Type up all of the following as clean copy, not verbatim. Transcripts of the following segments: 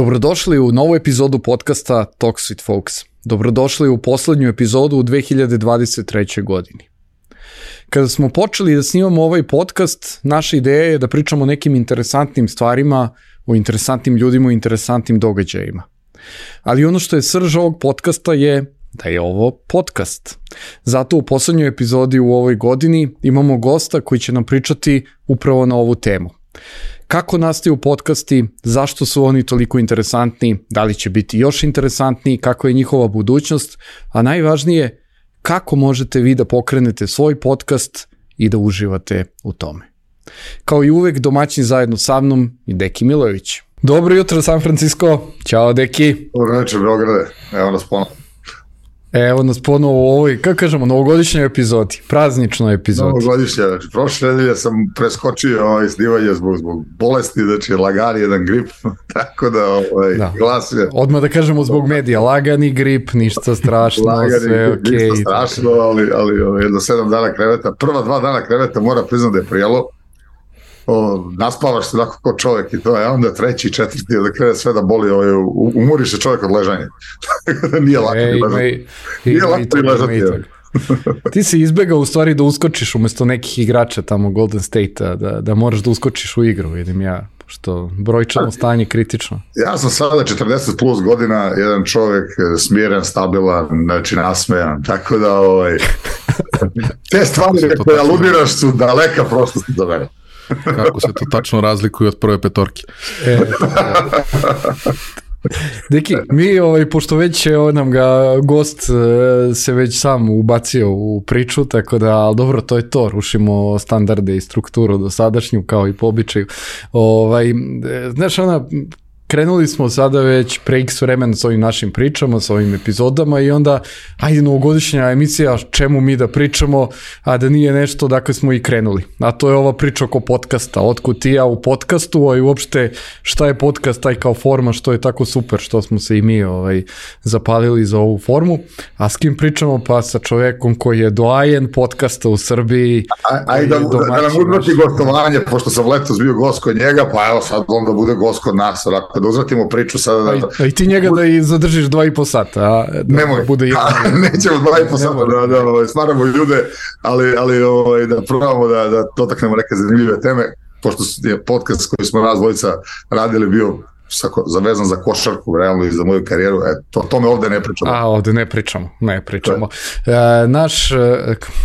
Dobrodošli u novu epizodu podcasta Talks with Folks. Dobrodošli u poslednju epizodu u 2023. godini. Kada smo počeli da snimamo ovaj podcast, naša ideja je da pričamo o nekim interesantnim stvarima, o interesantnim ljudima, o interesantnim događajima. Ali ono što je srž ovog podcasta je da je ovo podcast. Zato u poslednjoj epizodi u ovoj godini imamo gosta koji će nam pričati upravo na ovu temu. Kako nastaju podcasti, zašto su oni toliko interesantni, da li će biti još interesantniji, kako je njihova budućnost, a najvažnije, kako možete vi da pokrenete svoj podcast i da uživate u tome. Kao i uvek, domaćin zajedno sa mnom i Deki Milojević. Dobro jutro, San Francisco. Ćao, Deki. Dobro večer, Beograde. Evo nas ponovo. Evo nas ponovo u ovoj, kako kažemo, novogodišnjoj epizodi, prazničnoj epizodi. Novogodišnja, znači prošle nedelje sam preskočio snimanje zbog bolesti, znači lagan jedan grip, tako da glas je... Odmah da kažemo zbog medija, lagani grip, ništa strašno, sve okej. Ništa strašno, ali jedno 7 dana kreveta, prva 2 dana kreveta mora priznati da je prijelo. Naspavaš se tako kao čovjek i to je, onda treći i četvrti da krene sve da boli, umori se čovjek od ležanja. Nije lako ležati. Nije lako ležati. Ti si izbegao u stvari da uskočiš umesto nekih igrača tamo Golden State-a, da moraš da uskočiš u igru, vidim ja, što brojčano stanje kritično. Ja sam sada 40 plus godina, jedan čovjek smiren, stabilan, znači nasmejan, tako da te stvari koje aludiraš su daleka prostosti za mene. Kako se to tačno razlikuje od prve petorke. Deki, mi, pošto već nam ga gost se već sam ubacio u priču, tako da, ali dobro, to je to, rušimo standarde i strukturu dosadašnju, kao i po običaju. Znaš, krenuli smo sada već pre x vremena s ovim našim pričama, s ovim epizodama i onda, ajde, novogodišnja emisija, čemu mi da pričamo, a da nije nešto, dakle smo i krenuli. A to je ova priča oko podcasta, otkud ti ja u podcastu, a i uopšte šta je podcast, taj kao forma, što je tako super, što smo se i mi zapalili za ovu formu. A s kim pričamo? Pa sa čovekom koji je doajen podcasta u Srbiji. Ajde da nam uzvrti gostovanje, pošto sam letos bio gost kod njega, pa evo sad on da bude gost kod nas, onako da uzvratimo priču sada. A i ti njega da i zadržiš 2,5 sata. Nemoj, nećemo 2,5 sata da stvaramo ljude, ali da probamo da dotaknemo neke zanimljive teme, pošto je podcast koji smo nas dvojica radili bio zavezan za košarku, realno i za moju karijeru, o tome ovde ne pričamo. Ovde ne pričamo. Naš,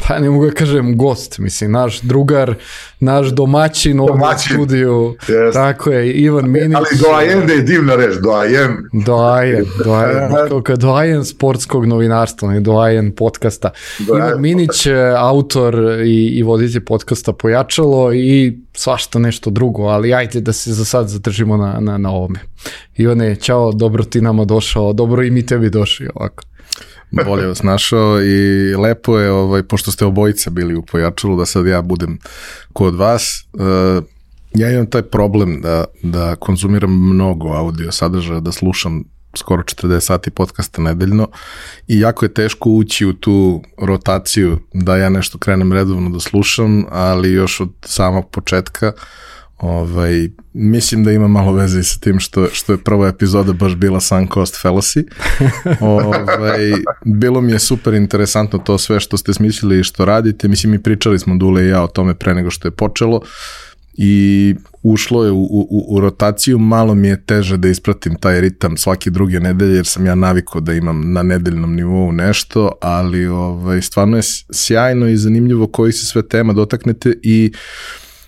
pa ne mogu da kažem gost, mislim, naš drugar, naš domaćin ovdje u studiju, tako je, Ivan Minić. Ali doajen da je divna reč, doajen. Doajen sportskog novinarstva, ne doajen podcasta. Ivan Minić, autor i voditelj podcasta Pojačalo i svašta nešto drugo, ali ajde da se za sad zadržimo na ovome. Ivane, čao, dobro ti nama došao, dobro i mi tebi došli ovako. Bolje vas našao i lepo je, pošto ste obojica bili u Pojačalu, da sad ja budem kod vas. Ja imam taj problem da konzumiram mnogo audio sadržaja, da slušam skoro 40 sati podcasta nedeljno i jako je teško ući u tu rotaciju da ja nešto krenem redovno da slušam, ali još od samog početka mislim da ima malo veze i sa tim što je prva epizoda baš bila Sunk Cost Fallacy. Bilo mi je super interesantno to sve što ste smislili i što radite. Mislim, mi pričali smo Dule i ja o tome pre nego što je počelo i ušlo je u rotaciju. Malo mi je teže da ispratim taj ritam svake druge nedelje, jer sam ja navikao da imam na nedeljnom nivou nešto, ali stvarno je sjajno i zanimljivo koji se sve tema dotaknete i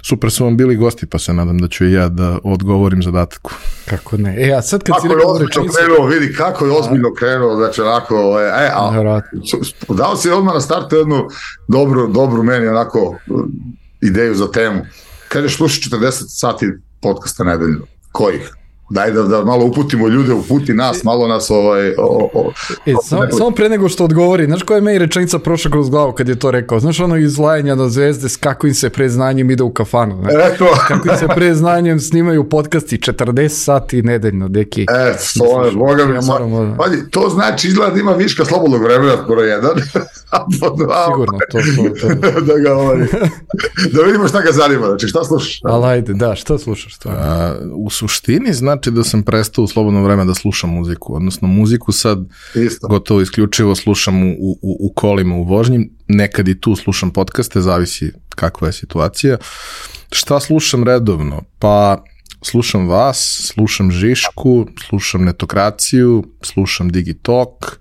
super su vam bili gosti, pa se nadam da ću i ja da odgovorim zadatku. Kako ne? A sad kad si rekao rečenicu... Vidi kako je ozbiljno krenuo, znači onako, dao si odmah na startu jednu dobru meni onako ideju za temu. Kažeš slušaš 40 sati podcasta nedeljno. Kojih? Daj da malo uputimo ljude, uputi nas, malo nas Samo pre nego što odgovori, znaš koja je meni rečenica prošla kroz glavu kad je to rekao? Znaš ono izlajanja na zvezde s kako im se pre znanjem ide u kafanu? Kako im se pre znanjem snimaju podcasti 40 sati nedeljno, Deki. To je, boga mi, to znači izgleda da ima viška slobodnog vremena, skoro jedan. Sigurno, to. Da vidimo šta ga zanima, znači šta slušaš? Ali ajde, da, šta slušaš? U suštini, znači, znači da sam prestao u slobodno vreme da slušam muziku, odnosno muziku sad gotovo isključivo slušam u kolima, u vožnji, nekad i tu slušam podcaste, zavisi kakva je situacija. Šta slušam redovno? Pa slušam vas, slušam Žišku, slušam Netokraciju, slušam Digitalk,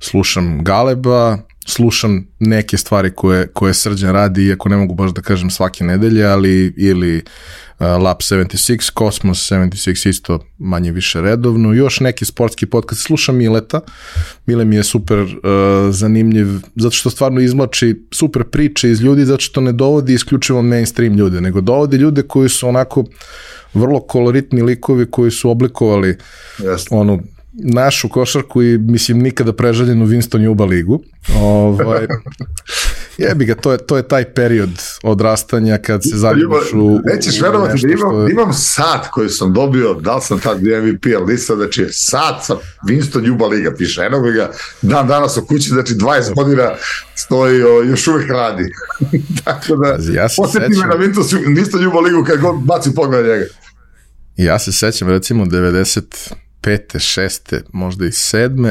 slušam Galeba, slušam neke stvari koje Srđan radi, iako ne mogu baš da kažem svake nedelje, ali ili Lab 76, Cosmos 76 isto manje više redovno, još neki sportski podcast, slušam Mileta, Mile mi je super zanimljiv, zato što stvarno izvlači super priče iz ljudi, zato što ne dovodi isključivo mainstream ljude, nego dovodi ljude koji su onako vrlo koloritni likovi koji su oblikovali onu našu košarku i mislim nikada prežaljenu Winston Juba ligu. Jebi ga, to je taj period odrastanja kad se zaljubiš u nećeš verovati da imam sat koji sam dobio, da li sam tad MVP, ali nisam, znači sat sa Winston Juba liga, piše, eno ga dan danas u kući, znači 20 godina stoji, još uvijek radi. Tako da, posjeti me na Winston Juba ligu kad god baci pogled njega. Ja se sećam recimo 95. 6. možda i 7.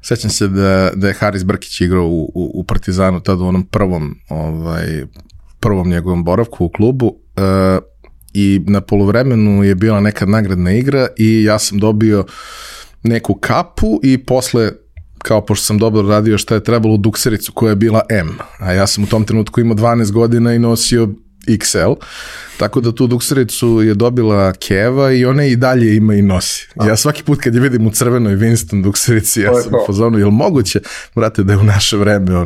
Sećam se da je Haris Brkić igrao u Partizanu tada u onom prvom njegovom boravku u klubu i na poluvremenu je bila neka nagradna igra i ja sam dobio neku kapu i posle, kao pošto sam dobro radio šta je trebalo, duksericu koja je bila M, a ja sam u tom trenutku imao 12 godina i nosio XL, tako da tu duksericu je dobila Keva i ona i dalje ima i nosi. Ja svaki put kad je vidim u crvenoj Winston dukserici, ja sam u fazonu, jel moguće, brate, da je u naše vreme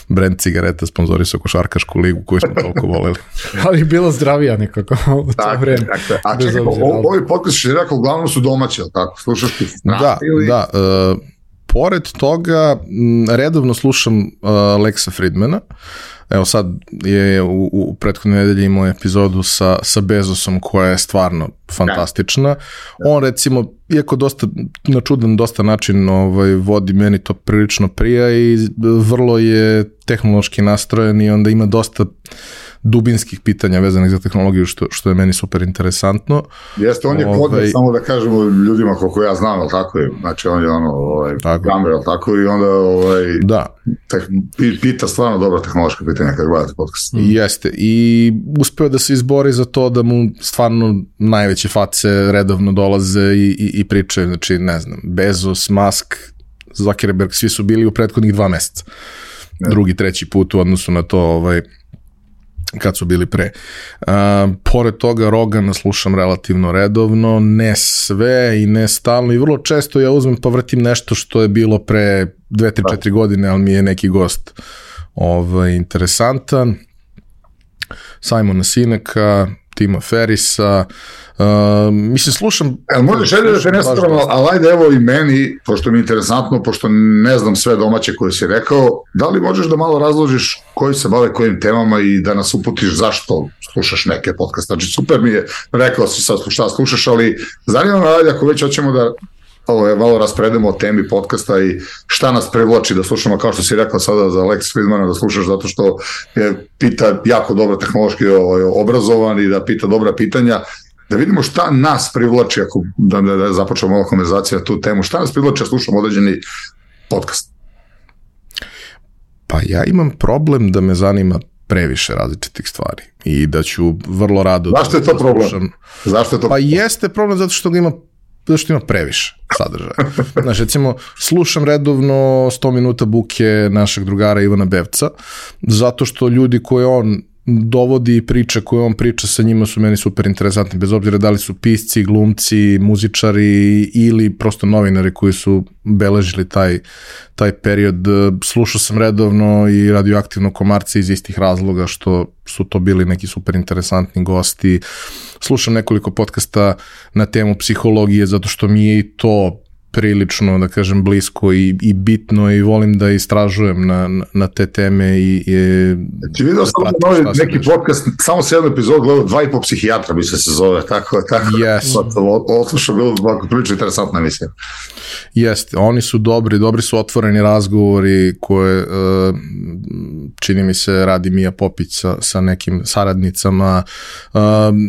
brand cigareta sponzorisao košarkašku ligu koju smo toliko voleli. Ali bilo zdravija nekako u to vreme. A čekaj, ovi podcast što je rekao, uglavnom su domaći, ali tako? Slušaš ti Da. Pored toga, redovno slušam Lexa Fridmana. Evo sad je u prethodnoj nedelji imao epizodu sa Bezosom koja je stvarno fantastična. On recimo, iako na čudan dosta način vodi, meni to prilično prija i vrlo je tehnološki nastrojen i onda ima dosta dubinskih pitanja vezanih za tehnologiju, što je meni super interesantno. Jeste, on je kodnik, samo da kažemo ljudima koliko ja znam, ali tako je, znači on je gamer, ali tako i onda pita stvarno dobra tehnološka pitanja kad gledate podcast. Jeste, i uspeo da se izbori za to da mu stvarno najveće face redovno dolaze i pričaju, znači ne znam, Bezos, Musk, Zuckerberg, svi su bili u prethodnih 2 meseca. Drugi, treći put u odnosu na to kad su bili pre. Pored toga Rogana slušam relativno redovno, ne sve i ne stalno i vrlo često ja uzmem pa vrtim nešto što je bilo pre 2-3-4 godine, ali mi je neki gost interesantan. Simona Sineka, Tima Ferrisa, mislim, slušam... Možeš da te ne stavljamo, ali ajde evo i meni, pošto mi je interesantno, pošto ne znam sve domaće koje si rekao, da li možeš da malo razložiš koji se bave kojim temama i da nas uputiš zašto slušaš neke podcaste? Znači, super mi je, rekao si sad šta slušaš, ali zanima me, ajde, ako već hoćemo da malo raspredemo o temi podcasta i šta nas privlači da slušamo, kao što si rekao sada za Lex Fridmana, da slušaš zato što je pita jako dobro tehnološki obrazovan i da pita dobra pitanja, da vidimo šta nas privlači, ako da započnemo ova konverzacija na tu temu, šta nas privlači da slušamo određeni podcast? Pa ja imam problem da me zanima previše različitih stvari i da ću vrlo rado... Zašto je to problem? Pa jeste problem zato što ima previše sadržaja. Znači, recimo, slušam redovno 100 minuta buke našeg drugara Ivana Bevca, zato što ljudi koje on dovodi i priče koje on priča sa njima su meni super interesantni, bez obzira da li su pisci, glumci, muzičari ili prosto novinari koji su beležili taj period. Slušao sam redovno i radioaktivno Komarce iz istih razloga što su to bili neki super interesantni gosti. Slušam nekoliko podcasta na temu psihologije zato što mi je i to prilično, da kažem, blisko i bitno i volim da istražujem na te teme Ti vidio sam neki podcast, samo se jednu epizodu gledao, 2,5 psihijatra bi se zove, tako. Odslušao, bilo prilično interesantna emisija. Jeste, oni su dobri su otvoreni razgovori koje čini mi se radi Mija Popić sa nekim saradnicama.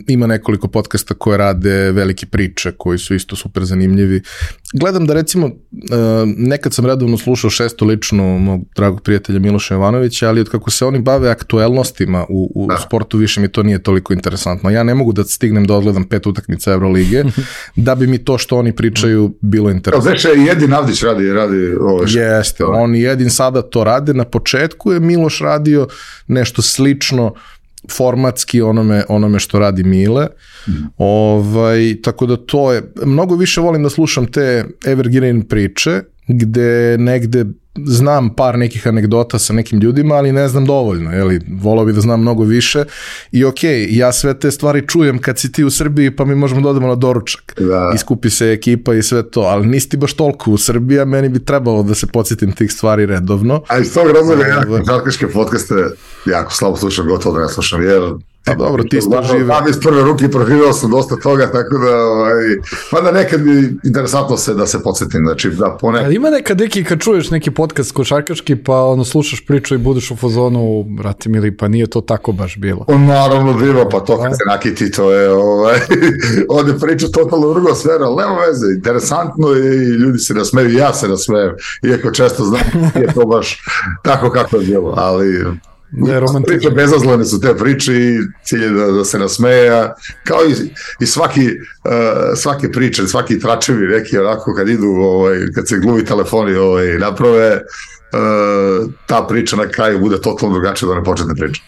Ima nekoliko podcasta koje rade velike priče koji su isto super zanimljivi. Gledam da recimo nekad sam redovno slušao Šestu ličnu mog dragog prijatelja Miloša Jovanovića, ali od kako se oni bave aktuelnostima u sportu više mi to nije toliko interesantno. Ja ne mogu da stignem da odgledam 5 utakmica Evrolige da bi mi to što oni pričaju bilo interesantno. Veče i Jedin Avdić radi ovo što. Jeste, on i Jedin sada to rade. Na početku je Miloš radio nešto slično formatski onome što radi Mile. Tako da to je, mnogo više volim da slušam te evergreen priče gde negde znam par nekih anegdota sa nekim ljudima, ali ne znam dovoljno, volao bi da znam mnogo više i ja sve te stvari čujem kad si ti u Srbiji pa mi možemo da odemo na doručak, iskupi se ekipa i sve to, ali nisi ti baš toliko u Srbiji, a meni bi trebalo da se podsjetim tih stvari redovno. A iz tog razloga ja košarkaške podcaste jako slabo slušam, gotovo da ne slušam, jer pa dobro, ti ste živi. Znam iz prve ruke proživio sam dosta toga, tako da mada nekad mi interesantno da se podsjetim, znači da ponekad. Ali ima nekad kad čuješ neki podcast košarkaški pa slušaš priču i budeš u fazonu, brate mili, pa nije to tako baš bilo. Naravno bilo, pa to kad se nakiti, to je ovdje priča totalno drugo sfera, ali nema veze, interesantno je i ljudi se nasmeju, i ja se nasmejem, iako često znam je to baš tako kako je bilo, ali priče bezazlene su te priče i cilj je da se nasmeje, kao i svake priče, svaki tračevi neki onako kad idu, kad se gluvi telefoni naprave, ta priča na kraju bude totalno drugačija da ne početne priče.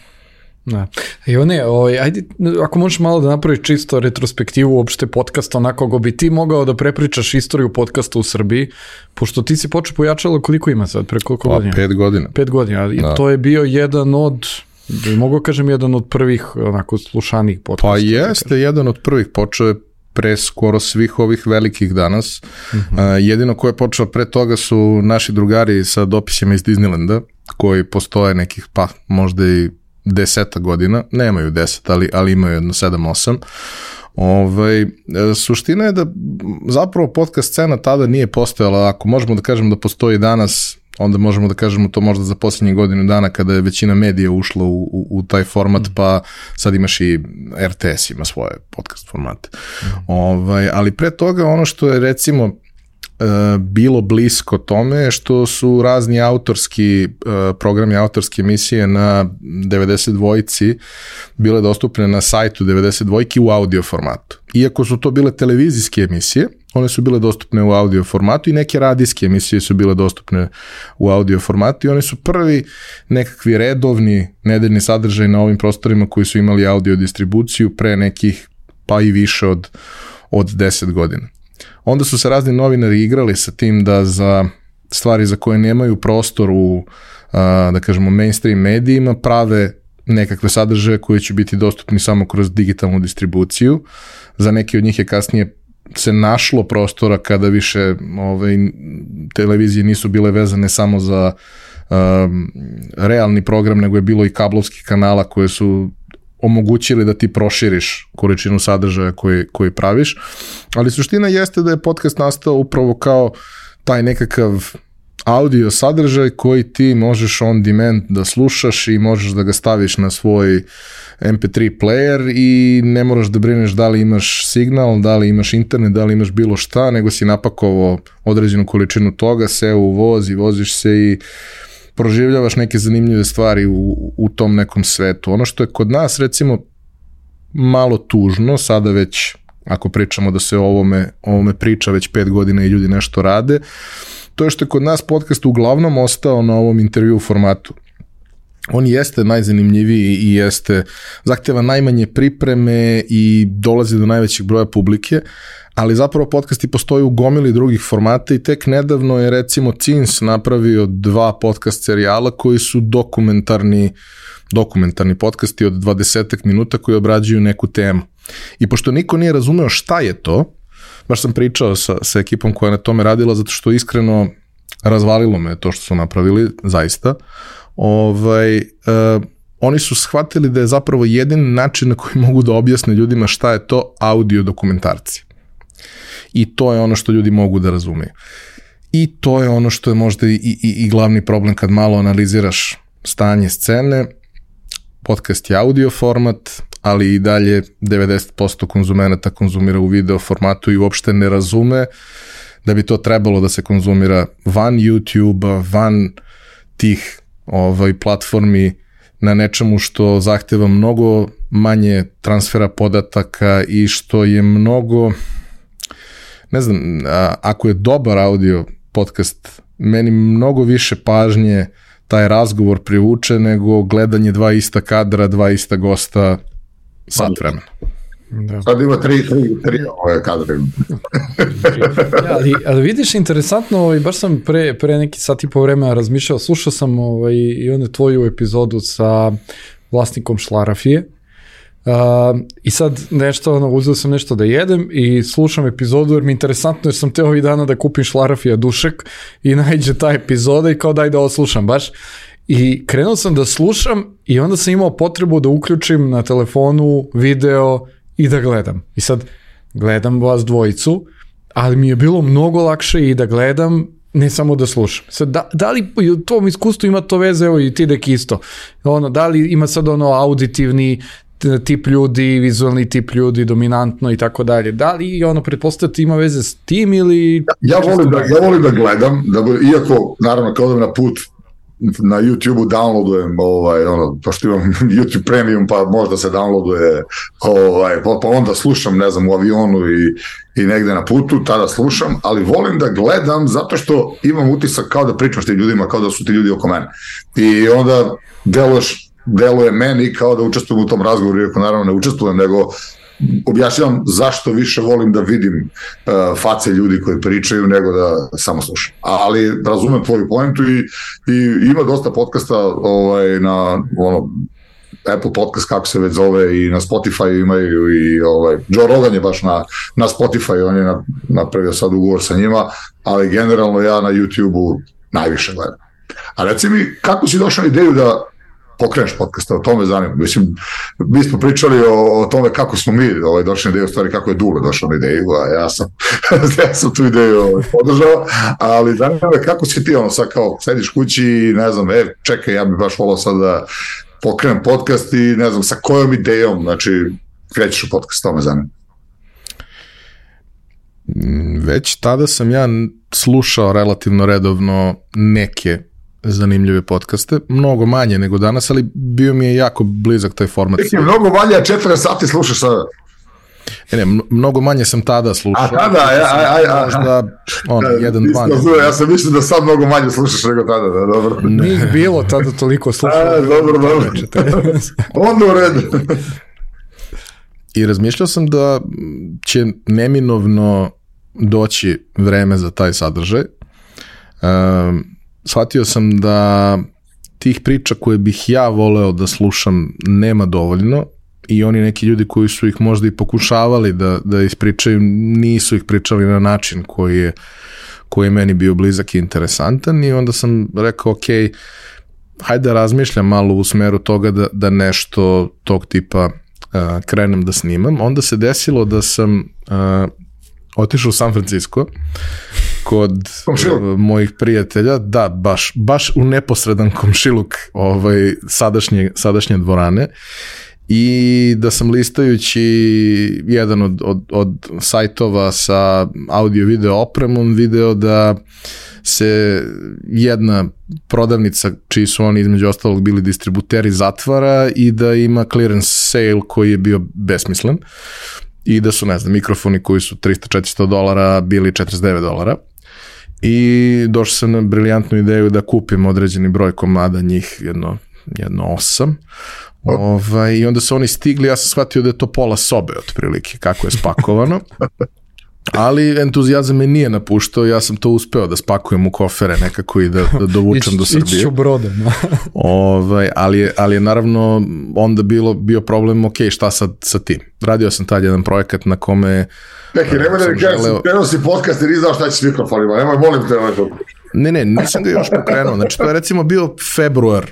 Da. Ajde, ako možeš malo da napraviš čisto retrospektivu uopšte podcasta, onako ako bi ti mogao da prepričaš istoriju podcasta u Srbiji, pošto ti si počeo Pojačalo, koliko ima sad, pre koliko godina? 5 godina. 5 godina, i to je bio jedan od, mogu kažem, jedan od prvih onako slušanih podcasta. Pa jeste, jedan od prvih, počeo je pre skoro svih ovih velikih danas. Jedino ko je počeo pre toga su naši drugari sa dopisima iz Disneylanda, koji postoje nekih, pa možda i 10 godina, nemaju 10, ali imaju jedno 7-8. Suština je da zapravo podcast scena tada nije postojala, ako možemo da kažemo da postoji danas, onda možemo da kažemo to možda za posljednjih godinu dana kada je većina medija ušla u taj format, pa sad imaš i RTS ima svoje podcast formate. Ali pre toga ono što je recimo bilo blisko tome je što su razni autorski programi, autorske emisije na 92-ci bile dostupne na sajtu 92-ki u audio formatu. Iako su to bile televizijske emisije, one su bile dostupne u audio formatu i neke radijske emisije su bile dostupne u audio formatu i oni su prvi nekakvi redovni nedeljni sadržaj na ovim prostorima koji su imali audio distribuciju pre nekih pa i više od 10 godina. Onda su se razni novinari igrali sa tim da za stvari za koje nemaju prostor u, da kažemo, mainstream medijima prave nekakve sadržaje koji će biti dostupni samo kroz digitalnu distribuciju. Za neke od njih je kasnije se našlo prostora kada više televizije nisu bile vezane samo za realni program, nego je bilo i kablovskih kanala koje su omogućili da ti proširiš količinu sadržaja koji praviš, ali suština jeste da je podcast nastao upravo kao taj nekakav audio sadržaj koji ti možeš on demand da slušaš i možeš da ga staviš na svoj MP3 player i ne moraš da brineš da li imaš signal, da li imaš internet, da li imaš bilo šta, nego si napakovao određenu količinu toga, seo u voz i voziš se i proživljavaš neke zanimljive stvari u tom nekom svetu. Ono što je kod nas recimo malo tužno, sada već ako pričamo da se o ovome priča već 5 godina i ljudi nešto rade, to je što je kod nas podcast uglavnom ostao na ovom intervju formatu. On jeste najzanimljiviji i zahteva najmanje pripreme i dolazi do najvećeg broja publike, ali zapravo podcasti postoji u gomili drugih formata i tek nedavno je recimo CINS napravio 2 podcast serijala koji su dokumentarni podcasti od 20 minuta koji obrađuju neku temu. I pošto niko nije razumeo šta je to, baš sam pričao sa ekipom koja je na tome radila, zato što iskreno razvalilo me to što su napravili, zaista. Oni su shvatili da je zapravo jedini način na koji mogu da objasne ljudima šta je to audio dokumentarci. I to je ono što ljudi mogu da razumeju. I to je ono što je možda i glavni problem kad malo analiziraš stanje scene. Podcast je audio format, ali i dalje 90% konzumenata konzumira u video formatu i uopšte ne razume da bi to trebalo da se konzumira van YouTube-a, van tih platformi, na nečemu što zahteva mnogo manje transfera podataka i što je mnogo, ne znam, ako je dobar audio podcast, meni mnogo više pažnje taj razgovor privuče nego gledanje dva ista kadra, dva ista gosta sat vremena. Da. Sad ima tri kadre. ali vidiš, interesantno, baš sam pre neki sat i po vremena razmišljao, slušao sam i onu tvoju epizodu sa vlasnikom Šlarafije i sad nešto, uzeo sam nešto da jedem i slušam epizodu jer mi je interesantno jer sam teo ovih dana da kupim Šlarafija dušek i nađe ta epizoda i kao daj da ovo slušam baš. I krenuo sam da slušam i onda sam imao potrebu da uključim na telefonu video i da gledam. I sad gledam vas dvojicu, ali mi je bilo mnogo lakše i da gledam, ne samo da slušam. Sad, da li u tom iskustvu ima to veze, evo i ti dek isto, da li ima sad auditivni tip ljudi, vizualni tip ljudi, dominantno i tako dalje. Da li pretpostavljati ima veze s tim ili... Ja volim da gledam, iako naravno kao da na put na YouTube-u downloadujem, pošto imam YouTube Premium, pa možda se downloaduje, pa onda slušam, ne znam, u avionu i negde na putu, tada slušam, ali volim da gledam zato što imam utisak kao da pričam s tim ljudima, kao da su ti ljudi oko mene. I onda deluje meni kao da učestvujem u tom razgovoru, iako naravno ne učestvujem, nego objašnjavam zašto više volim da vidim face ljudi koji pričaju nego da samo slušam. Ali razumem tvoju pointu i ima dosta podcasta na Apple podcast, kako se već zove, i na Spotify imaju i Joe Rogan je baš na Spotify, on je napravio sad ugovor sa njima, ali generalno ja na YouTube-u najviše gledam. A reci mi, kako si došao na ideju da pokreneš podcasta, o tome zanima. Mislim, mi smo pričali o tome kako smo mi došli na ideju, stvari kako je Dule došao na ideju, a ja sam tu ideju podržao, ali zanima me kako si ti sad kao sediš kući i ne znam, čekaj, ja bih baš volao sad da pokrenem podcast i ne znam, sa kojom idejom, znači, krećeš u podcast, to me zanima. Već tada sam ja slušao relativno redovno neke zanimljive podcaste, mnogo manje nego danas, ali bio mi je jako blizak taj format. Mnogo manje, 4 sati slušaš sada. Mnogo manje sam tada slušao. A tada, možda 1-2. Ja sam mislio da sad mnogo manje slušaš nego tada, da, dobro. Nije bilo tada toliko slušao. Dobro. Onda u redu. I razmišljao sam da će neminovno doći vreme za taj sadržaj. Shvatio sam da tih priča koje bih ja voleo da slušam nema dovoljno i oni neki ljudi koji su ih možda i pokušavali da ispričaju, nisu ih pričali na način koji je meni bio blizak i interesantan i onda sam rekao, ok, hajde da razmišljam malo u smeru toga da nešto tog tipa krenem da snimam. Onda se desilo da sam otišao u San Francisco kod mojih prijatelja, da, baš u neposredan komšiluk sadašnje dvorane i da sam listajući jedan od sajtova sa audio-video opremom video da se jedna prodavnica, čiji su oni između ostalog bili distributeri, zatvara i da ima clearance sale koji je bio besmislen i da su, ne znam, mikrofoni koji su $300-400 bili $49 i došao sam na briljantnu ideju da kupim određeni broj komada, njih jedno 8. I onda su oni stigli, ja sam shvatio da je to pola sobe otprilike, kako je spakovano. Ali entuzijazam me nije napuštao, ja sam to uspeo da spakujem u kofere nekako i da dovučem do Srbije. Ići ću brodom. Ali je naravno onda bio problem, ok, šta sad sa tim? Radio sam tad jedan projekat na kome... Neki, nemoj da mi kažem, prenosi podcast i nisam šta će s mikrofonima, nemoj, molim te. Ne, nisam ga još pokrenuo, znači to je recimo bio februar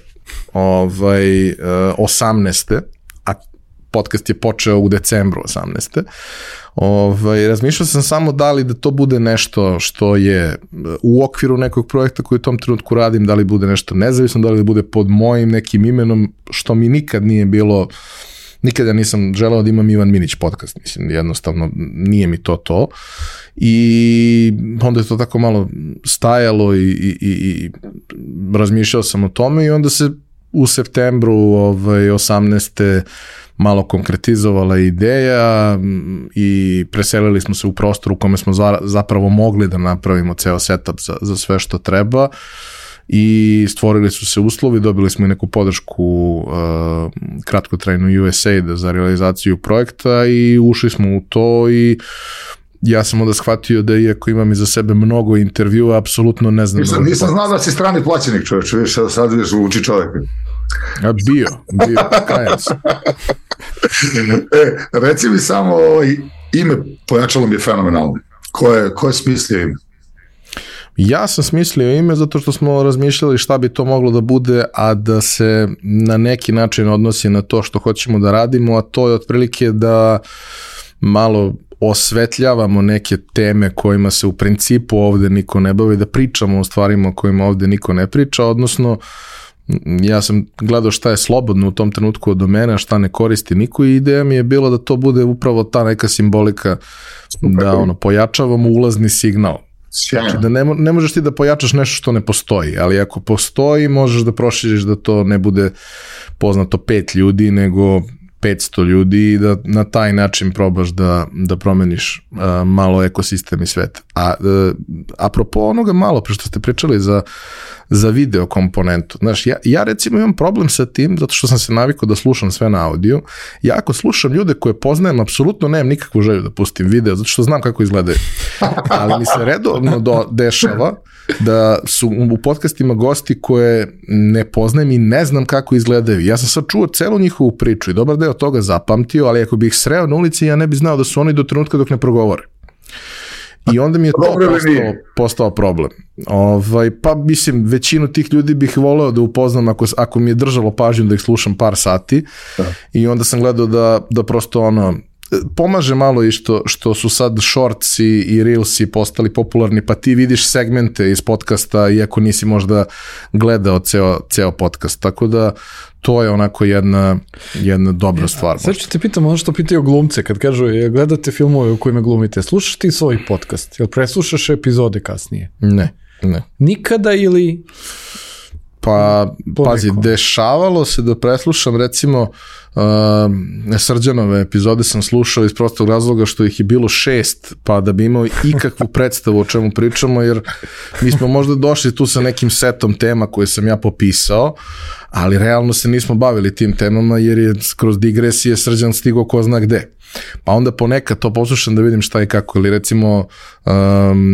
18. a podcast je počeo u decembru 18. Razmišljao sam samo da li da to bude nešto što je u okviru nekog projekta koji u tom trenutku radim, da li bude nešto nezavisno, da li bude pod mojim nekim imenom, što mi nikad nije bilo, nikada nisam želeo da imam Ivan Minić podcast, mislim, jednostavno nije mi to. I onda je to tako malo stajalo i razmišljao sam o tome i onda se u septembru 18. malo konkretizovala ideja i preselili smo se u prostor u kome smo zapravo mogli da napravimo ceo setup za sve što treba i stvorili su se uslovi, dobili smo i neku podršku kratkotrajnu USAID za realizaciju projekta i ušli smo u to i ja sam onda shvatio da iako imam iza sebe mnogo intervjua, apsolutno ne znam. Nisam znao da si strani plaćenik, čovječ, vidiš, sad vidiš uči čovjek. Bio, kajem se. Reci mi samo, ime pojačalo mi je fenomenalno. Ko je smislio ime? Ja sam smislio ime zato što smo razmišljali šta bi to moglo da bude, a da se na neki način odnosi na to što hoćemo da radimo, a to je otprilike da malo osvetljavamo neke teme kojima se u principu ovde niko ne bavi, da pričamo o stvarima o kojima ovde niko ne priča, odnosno ja sam gledao šta je slobodno u tom trenutku od domena, šta ne koristi niko i ideja mi je bila da to bude upravo ta neka simbolika da pojačavamo ulazni signal. Znači da ne možeš ti da pojačaš nešto što ne postoji, ali ako postoji možeš da proširiš da to ne bude poznato 5 ljudi nego 500 ljudi i da na taj način probaš da promeniš malo ekosistem i svet. Apropo onoga malo pre što ste pričali za video komponentu. Znaš, ja recimo imam problem sa tim zato što sam se navikao da slušam sve na audio. Ja ako slušam ljude koje poznajem, apsolutno nemam nikakvu želju da pustim video zato što znam kako izgledaju. Ali mi se redovno dešava da su u podcastima gosti koje ne poznajem i ne znam kako izgledaju. Ja sam sad čuo celu njihovu priču i dobar deo toga zapamtio, ali ako bih ih sreo na ulici, ja ne bih znao da su oni do trenutka dok ne progovore. I onda mi je to postao problem. Pa mislim, većinu tih ljudi bih voleo da upoznam ako mi je držalo pažnju da ih slušam par sati i onda sam gledao da prosto pomaže malo i što su sad shortsi i reelsi postali popularni, pa ti vidiš segmente iz podcasta iako nisi možda gledao ceo podcast, tako da to je onako jedna dobra stvar. Sad ću te pitam ono što pitaju glumce kad kažu gledate filmove u kojima glumite, slušaš ti svoj podcast, jel preslušaš epizode kasnije? Ne. Nikada ili... Pa, pazi, dešavalo se da preslušam recimo Srđanove epizode sam slušao iz prostog razloga što ih je bilo 6, pa da bi imao ikakvu predstavu o čemu pričamo, jer mi smo možda došli tu sa nekim setom tema koje sam ja popisao, ali realno se nismo bavili tim temama jer je kroz digresije Srđan stigao ko zna gde. Pa onda ponekad to poslušam da vidim šta i kako, ili recimo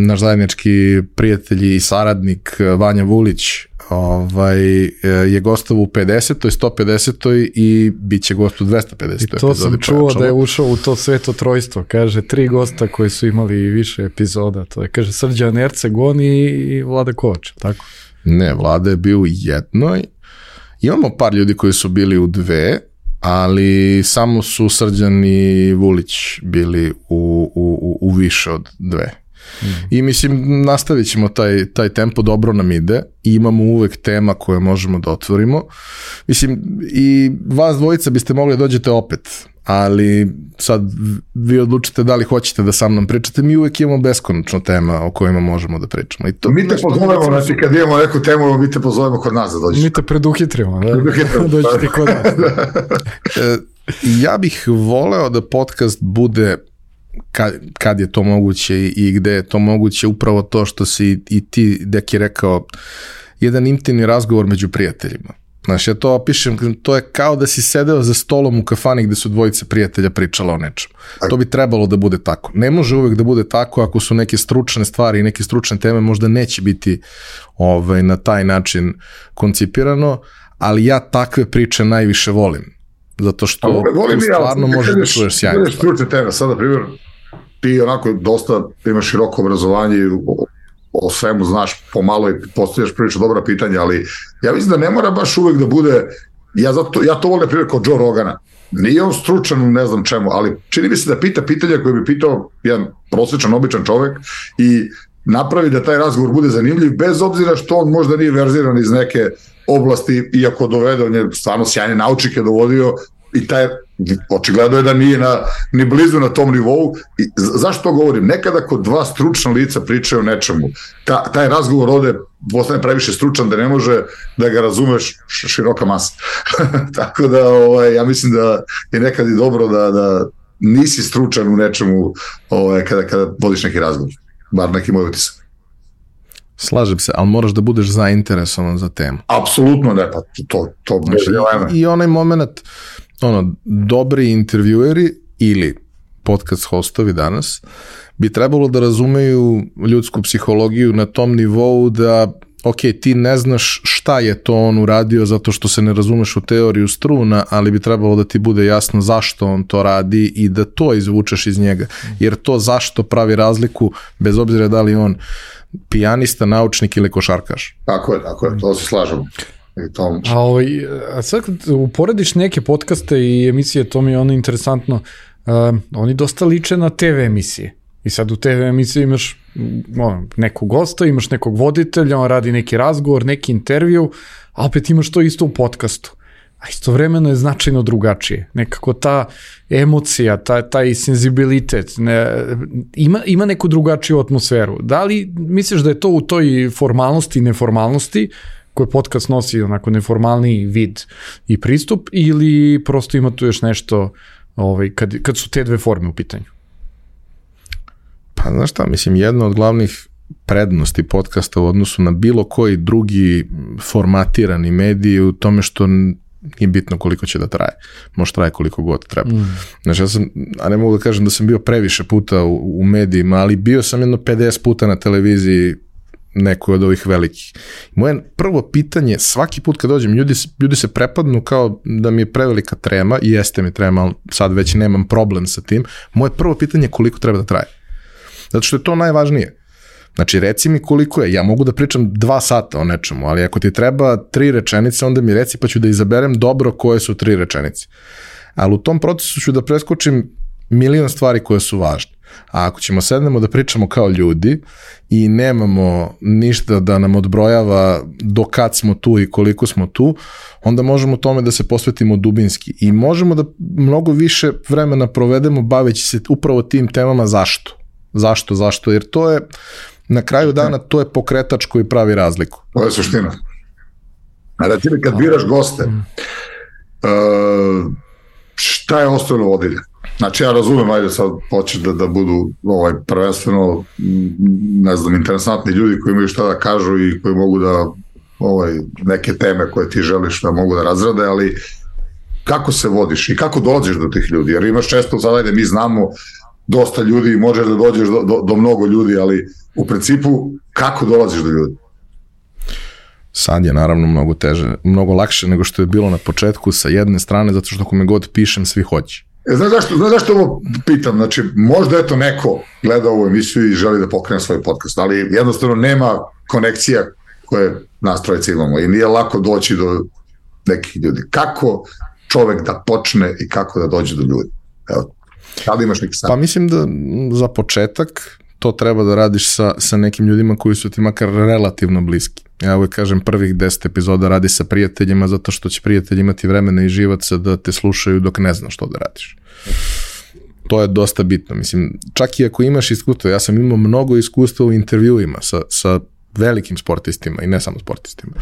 naš zajednički prijatelj i saradnik Vanja Vulić je gostovao u 50. 150. i bit će gost u 250. I to sam čuo da je ušao u to sveto trojstvo, kaže 3 gosta koji su imali više epizoda, to je kaže Srđan Ercegon i Vlada Kovač, tako? Ne, Vlada je bio u jednoj, imamo par ljudi koji su bili u 2, ali samo su Srđan i Vulić bili u više od 2. I mislim, nastavit ćemo taj tempo, dobro nam ide i imamo uvek tema koje možemo da otvorimo. Mislim, i vas dvojica biste mogli da dođete opet, ali sad vi odlučite da li hoćete da sa mnom pričate, mi uvek imamo beskonačno tema o kojima možemo da pričamo. Mi te pozovemo, znači kad imamo neku temu, mi te pozovemo kod nas da dođeš. Mi te preduhitrimo, da? Dođete kod nas. Ja bih voleo da podcast bude kad je to moguće i gde je to moguće, upravo to što si i ti, Deki, rekao, jedan intimni razgovor među prijateljima. Znaš, ja to opišem, to je kao da si sedeo za stolom u kafani gde su dvojice prijatelja pričala o nečemu. To bi trebalo da bude tako. Ne može uvek da bude tako ako su neke stručne stvari i neke stručne teme, možda neće biti na taj način koncipirano, ali ja takve priče najviše volim. Zato što stvarno možeš da čuješ sjajno. Volim stručne teme, sada primjer, ti onako dosta imaš široko obrazovanje i o svemu znaš pomalo i postavljaš prilično dobra pitanja, ali ja mislim da ne mora baš uvek da bude, ja to volim primjer kao Joe Rogana, nije on stručan u ne znam čemu, ali čini mi se da pita pitanja koje bi pitao jedan prosječan, običan čovek i napravi da taj razgovor bude zanimljiv, bez obzira što on možda nije verziran iz neke oblasti, iako dovede, on je stvarno sjajne naučnike dovodio i taj očigledno je da nije ni blizu na tom nivou. I zašto to govorim? Nekada kod dva stručna lica pričaju o nečemu, taj razgovor ovde postane previše stručan da ne može da ga razumeš široka masa. Tako da ja mislim da je nekad i dobro da nisi stručan u nečemu kada vodiš neki razgovor, bar neki moj utisak. Slažem se, ali moraš da budeš zainteresovan za temu. Apsolutno ne, pa to znači, i onaj moment, dobri intervjueri ili podcast hostovi danas bi trebalo da razumeju ljudsku psihologiju na tom nivou da, ok, ti ne znaš šta je to on uradio zato što se ne razumeš u teoriju struna, ali bi trebalo da ti bude jasno zašto on to radi i da to izvučeš iz njega, jer to zašto pravi razliku bez obzira da li on pijanista, naučnik ili košarkaš. Tako je, to se slažemo. A sad kad uporediš neke podcaste i emisije, to mi je ono interesantno, oni dosta liče na TV emisije. I sad u TV emisiji imaš nekog gosta, imaš nekog voditelja, on radi neki razgovor, neki intervju, a opet imaš to isto u podcastu. A istovremeno je značajno drugačije. Nekako ta emocija, taj senzibilitet, ima neku drugačiju atmosferu. Da li misliš da je to u toj formalnosti i neformalnosti, koje podcast nosi onako neformalni vid i pristup, ili prosto ima tu još nešto kad su te dve forme u pitanju? Pa znaš šta, mislim, jedna od glavnih prednosti podcasta u odnosu na bilo koji drugi formatirani mediji u tome što nije bitno koliko će da traje. Može traje koliko god treba. Znači, ja sam, a ne mogu da kažem da sam bio previše puta u medijima, ali bio sam jedno 50 puta na televiziji nekoj od ovih velikih. Moje prvo pitanje, svaki put kad dođem, ljudi se prepadnu kao da mi je prevelika trema, i jeste mi trema, ali sad već nemam problem sa tim. Moje prvo pitanje je koliko treba da traje. Zato što je to najvažnije. Znači, reci mi koliko je. Ja mogu da pričam 2 sata o nečemu, ali ako ti treba 3 rečenice, onda mi reci pa ću da izaberem dobro koje su 3 rečenice. Ali u tom procesu ću da preskočim milion stvari koje su važne. A ako ćemo sednemo da pričamo kao ljudi i nemamo ništa da nam odbrojava do kad smo tu i koliko smo tu, onda možemo tome da se posvetimo dubinski i možemo da mnogo više vremena provedemo baveći se upravo tim temama zašto, jer to je na kraju dana, to je pokretač koji pravi razliku. To je suština. A da ti kad biraš goste, šta je osnovno vodilje? Znači, ja razumem, ajde sad hoćeš da budu prvenstveno, ne znam, interesantni ljudi koji imaju šta da kažu i koji mogu da neke teme koje ti želiš da mogu da razrade, ali kako se vodiš i kako dolaziš do tih ljudi? Jer imaš često, sad ajde, mi znamo dosta ljudi i možeš da dođeš do mnogo ljudi, ali u principu kako dolaziš do ljudi? Sad je naravno mnogo teže, mnogo lakše nego što je bilo na početku sa jedne strane, zato što kome god pišem, svi hoće. Znaš zašto ovo pitam? Znači, možda eto neko gleda ovu emisiju i želi da pokrene svoj podcast, ali jednostavno nema konekcija koje nas trojice imamo i nije lako doći do nekih ljudi. Kako čovek da počne i kako da dođe do ljudi? Evo, da li imaš neki savjet? Pa mislim da za početak to treba da radiš sa nekim ljudima koji su ti makar relativno bliski. Ja uvijek kažem, prvih 10 epizoda radi sa prijateljima, zato što će prijatelji imati vremena i živaca da te slušaju dok ne znaš što da radiš. To je dosta bitno. Mislim, čak i ako imaš iskustvo, ja sam imao mnogo iskustva u intervjuima sa velikim sportistima i ne samo sportistima.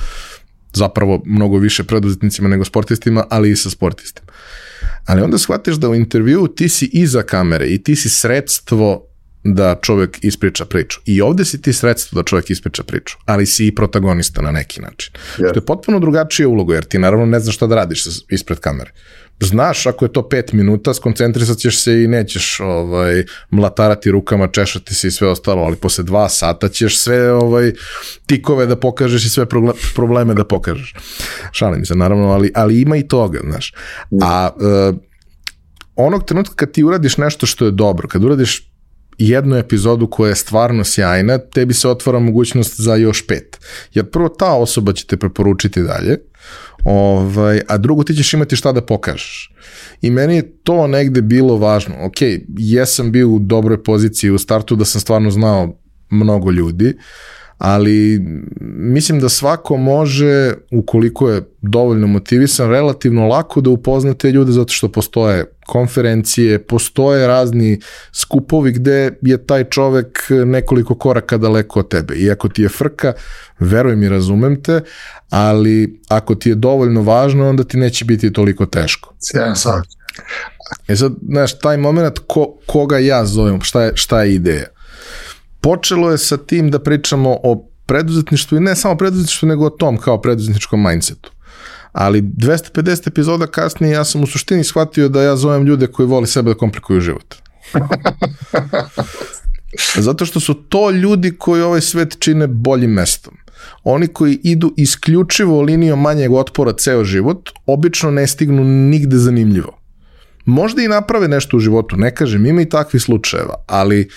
Zapravo mnogo više preduzetnicima nego sportistima, ali i sa sportistima. Ali onda shvatiš da u intervjuu ti si iza kamere i ti si sredstvo da čovjek ispriča priču. I ovde si ti sredstvo da čovjek ispriča priču, ali si i protagonista na neki način. Što je potpuno drugačija uloga, jer ti naravno ne znaš šta da radiš ispred kamere. Znaš, ako je to 5 minuta, skoncentrisat ćeš se i nećeš mlatarati rukama, češati se i sve ostalo, ali posle 2 sata ćeš sve tikove da pokažeš i sve probleme da pokažeš. Šalim se, naravno, ali ima i toga, znaš. A onog trenutka kad ti uradiš nešto što je dobro, kad uradiš jednu epizodu koja je stvarno sjajna, tebi se otvara mogućnost za još 5. Jer prvo ta osoba će te preporučiti dalje, a drugo ti ćeš imati šta da pokažeš. I meni je to negde bilo važno. Ok, jesam bio u dobroj poziciji u startu da sam stvarno znao mnogo ljudi, ali mislim da svako može, ukoliko je dovoljno motivisan, relativno lako da upozna te ljude, zato što postoje konferencije, postoje razni skupovi gde je taj čovek nekoliko koraka daleko od tebe. I ako ti je frka, veruj mi, razumem te, ali ako ti je dovoljno važno, onda ti neće biti toliko teško. Sjajan sam. Sad, znaš, taj moment koga ja zovem, šta je ideja? Počelo je sa tim da pričamo o preduzetništvu i ne samo preduzetništvu, nego o tom kao preduzetničkom mindsetu. Ali 250 epizoda kasnije ja sam u suštini shvatio da ja zovem ljude koji vole sebe da komplikuju život. Zato što su to ljudi koji ovaj svet čine boljim mestom. Oni koji idu isključivo linijom manjeg otpora ceo život, obično ne stignu nigde zanimljivo. Možda i naprave nešto u životu, ne kažem, ima i takvih slučajeva, ali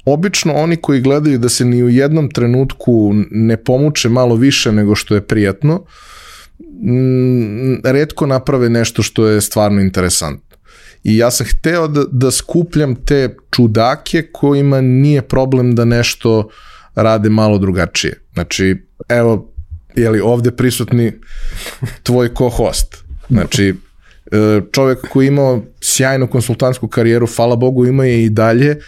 obično oni koji gledaju da se ni u jednom trenutku ne pomuče malo više nego što je prijatno, retko naprave nešto što je stvarno interesantno. I ja sam hteo da skupljam te čudake kojima nije problem da nešto rade malo drugačije. Znači, evo, ovde prisutni tvoj co-host. Znači, čovjek koji je imao sjajnu konsultantsku karijeru, hvala Bogu, ima je i dalje,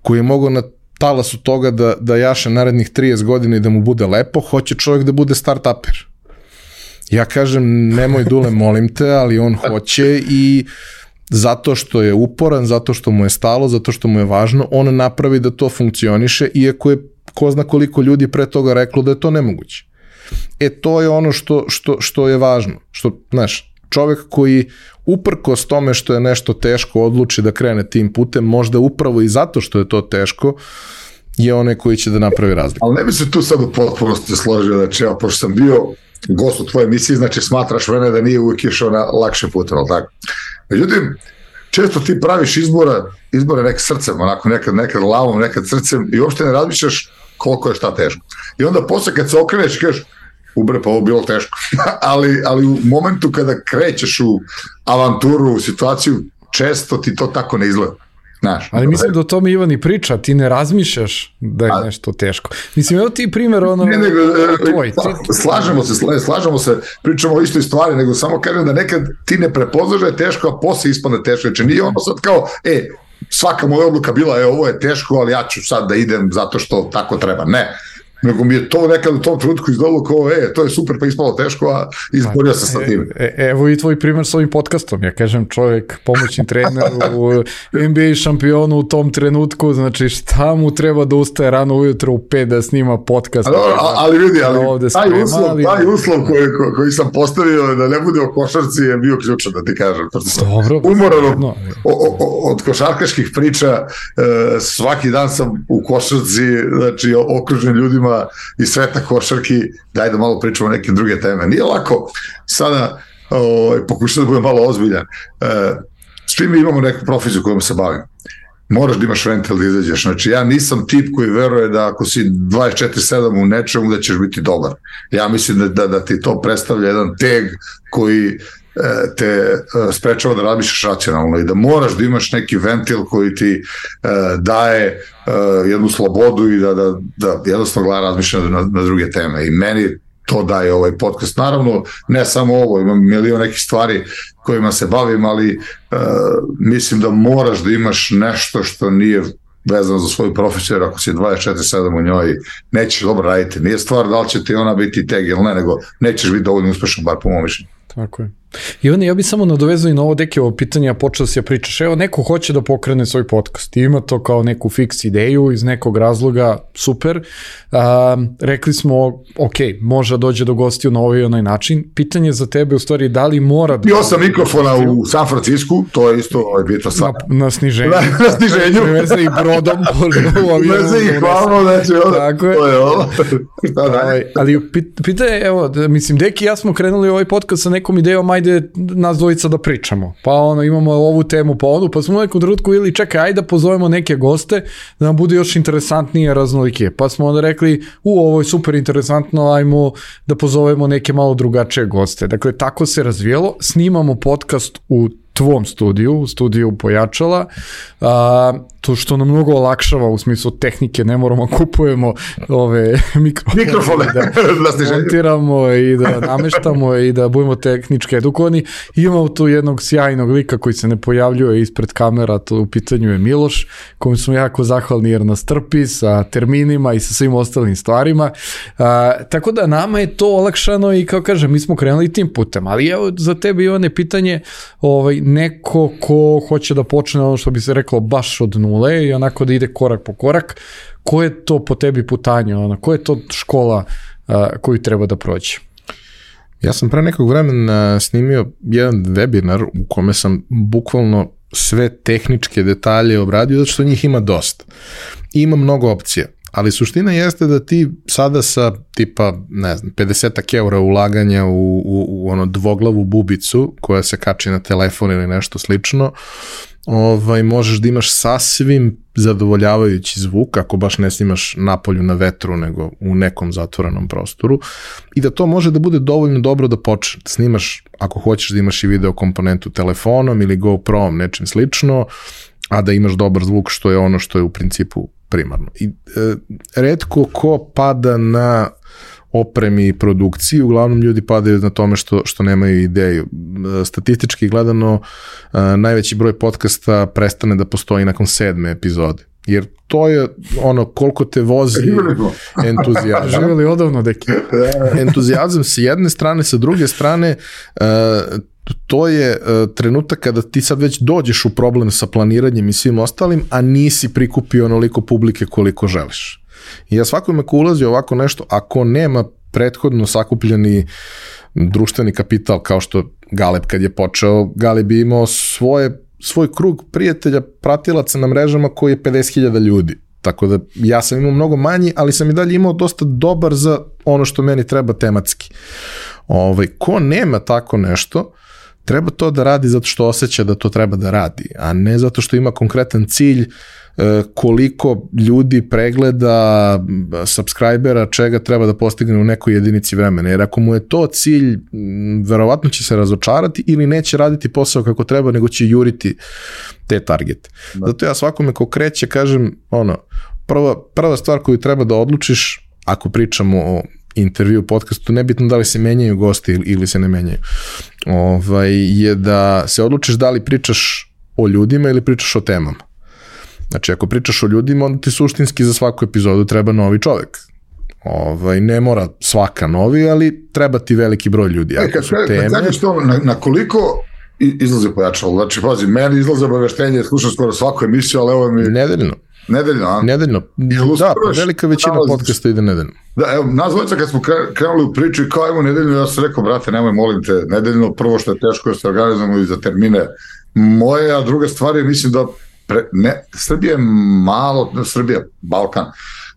koji je mogao na talasu toga da jaše narednih 30 godina i da mu bude lepo, hoće čovjek da bude start-uper. Ja kažem, nemoj Dule, molim te, ali on hoće i zato što je uporan, zato što mu je stalo, zato što mu je važno, on napravi da to funkcioniše, iako je ko zna koliko ljudi pre toga reklo da je to nemoguće. To je ono što je važno. Što, znaš, čovjek koji uprkos tome što je nešto teško odluči da krene tim putem, možda upravo i zato što je to teško, je onaj koji će da napravi razliku. Ali ne bi se tu sad u potpunosti složio, znači ja, pošto sam bio gost u tvojoj emisiji, znači smatraš mene da nije uvijek išao na lakše pute, ali tako? Međutim, često ti praviš izbore nekad srcem, onako nekad lavom, nekad srcem i uopšte ne razmišljaš koliko je šta teško. I onda posle kad se okreneš i kažeš, pa ovo bilo teško. ali u momentu kada krećeš u avanturu, u situaciju, često ti to tako ne izgleda. Znaš, ali mislim da o tome Ivan i priča, ti ne razmišljaš da je nešto teško. Mislim, evo ti primjer tvoj. Slažemo se, pričamo o istoj stvari, nego samo kažem da nekad ti ne prepoznaš da je teško, a posle ispadne teško. Znači nije ono sad kao, svaka moja odluka bila, ovo je teško, ali ja ću sad da idem zato što tako treba. Ne. Nego mi je to nekad u tom trenutku izdalo kao, to je super, pa ispalo teško, a izborio se sa tim. Evo i tvoj primjer s ovim podcastom. Ja kažem, čovjek, pomoćni trener u NBA šampionu u tom trenutku, znači šta mu treba da ustaje rano ujutro u 5 da snima podcast. Ali vidi, taj uslov koji sam postavio da ne bude o košarci je bio ključan, da ti kažem. Umoran od košarkaških priča, svaki dan sam u košarci, znači okružen ljudima i sveta košarki, daj da malo pričamo o neke druge teme. Nije lako sada pokušati da budem malo ozbiljan. Svi mi imamo neku profesiju kojom se bavimo. Moraš da imaš ventil da izađeš. Znači, ja nisam tip koji veruje da ako si 24/7 u nečemu da ćeš biti dobar. Ja mislim da ti to predstavlja jedan teg koji te sprečava da razmišljaš racionalno i da moraš da imaš neki ventil koji ti daje jednu slobodu i da jednostavno gleda razmišlja na druge teme. I meni to daje ovaj podcast. Naravno, ne samo ovo, imam milion nekih stvari kojima se bavim, ali mislim da moraš da imaš nešto što nije vezano za svoju profesiju, jer ako si 24/7 u njoj, nećeš dobro raditi. Nije stvar da li će ti ona biti teg ili ne, nego nećeš biti dovoljno uspešan, bar po mom mišljenju. Tako je. Ivane, ja bih samo nadovezao i na ovo Dekiovo pitanje, a počeo si ja pričaš, evo neko hoće da pokrene svoj podcast i ima to kao neku fiks ideju iz nekog razloga, super, rekli smo, ok, može dođe do gostiju na ovaj i onaj način, pitanje za tebe u stvari da li mora da... Bio sam mikrofona u San Francisku, to je isto bitno sad. Na sniženju. Na sniženju. Preveze ih brodom. Preveze ih hvalno, znači to je ovo. Ali pitanje, evo, mislim, Deki i ja smo krenuli ovaj podcast sa nekom idejom, ajde nas dvojica da pričamo, pa imamo ovu temu, pa onu, pa smo u nekom trenutku ili čekaj, ajde da pozovemo neke goste da nam bude još interesantnije, raznolikije, pa smo onda rekli, ovo je super interesantno, ajmo da pozovemo neke malo drugačije goste. Dakle, tako se razvijelo, snimamo podcast u tvom studiju, u studiju Pojačala, to što nam mnogo olakšava u smislu tehnike, ne moramo kupujemo ove mikrofone da montiramo i da nameštamo i da budemo tehnički edukovani. Imamo tu jednog sjajnog lika koji se ne pojavljuje ispred kamera, to u pitanju je Miloš, kojom smo jako zahvalni jer nas trpi sa terminima i sa svim ostalim stvarima. Tako da nama je to olakšano i kao kažem, mi smo krenuli tim putem, ali evo za tebe Ivane pitanje, neko ko hoće da počne ono što bi se reklo baš od nule i onako da ide korak po korak, ko je to po tebi putanje, ko je to škola koju treba da prođe? Ja sam pre nekog vremena snimio jedan webinar u kome sam bukvalno sve tehničke detalje obradio, zato što njih ima dosta. I ima mnogo opcija. Ali suština jeste da ti sada sa tipa, ne znam, 50 eura ulaganja u ono dvoglavu bubicu koja se kači na telefon ili nešto slično, možeš da imaš sasvim zadovoljavajući zvuk, ako baš ne snimaš napolju na vetru, nego u nekom zatvorenom prostoru, i da to može da bude dovoljno dobro da počne. Da snimaš, ako hoćeš da imaš i video komponentu telefonom ili GoPro-om, nečim slično, a da imaš dobar zvuk, što je ono što je u principu primarno. I retko ko pada na opremi i produkciji, uglavnom ljudi padaju na tome što nemaju ideju. Statistički gledano, najveći broj podcasta prestane da postoji nakon 7. epizode. Jer to je ono koliko te vozi entuzijazam. Živjeli odavno, Deki. Entuzijazam s jedne strane, sa druge strane, to je trenutak kada ti sad već dođeš u problem sa planiranjem i svim ostalim, a nisi prikupio onoliko publike koliko želiš. I ja svakome ko ulazi ovako nešto, ako nema prethodno sakupljeni društveni kapital, kao što Galeb kad je počeo, Galeb bi imao svoj krug prijatelja, pratilaca na mrežama koji je 50.000 ljudi. Tako da ja sam imao mnogo manji, ali sam i dalje imao dosta dobar za ono što meni treba tematski. Ko nema tako nešto, treba to da radi zato što osjeća da to treba da radi, a ne zato što ima konkretan cilj koliko ljudi pregleda, subscribera, čega treba da postigne u nekoj jedinici vremena. Jer ako mu je to cilj, verovatno će se razočarati ili neće raditi posao kako treba, nego će juriti te targete. Zato ja svakome ko kreće kažem, prva stvar koju treba da odlučiš, ako pričamo o intervju, podcastu, nebitno da li se menjaju gosti ili se ne menjaju, je da se odlučiš da li pričaš o ljudima ili pričaš o temama. Znači, ako pričaš o ljudima, onda ti suštinski za svaku epizodu treba novi čovek. Ne mora svaka novi, ali treba ti veliki broj ljudi. Kad kažeš to, na koliko izlazi Pojačalo? Znači, pazi, meni izlaze obaveštenje, slušam skoro svaku emisiju, ali evo mi... Nedeljno. Nedeljno. Da, velika većina podcasta ide nedeljno. Da, evo, nas dvojica kad smo krenuli u priču i kao imamo nedeljno, ja sam rekao, brate, nemoj, molim te, nedeljno, prvo što je teško je se organizujemo i za termine moje, a druga stvar je, mislim da Srbija je malo, Balkan,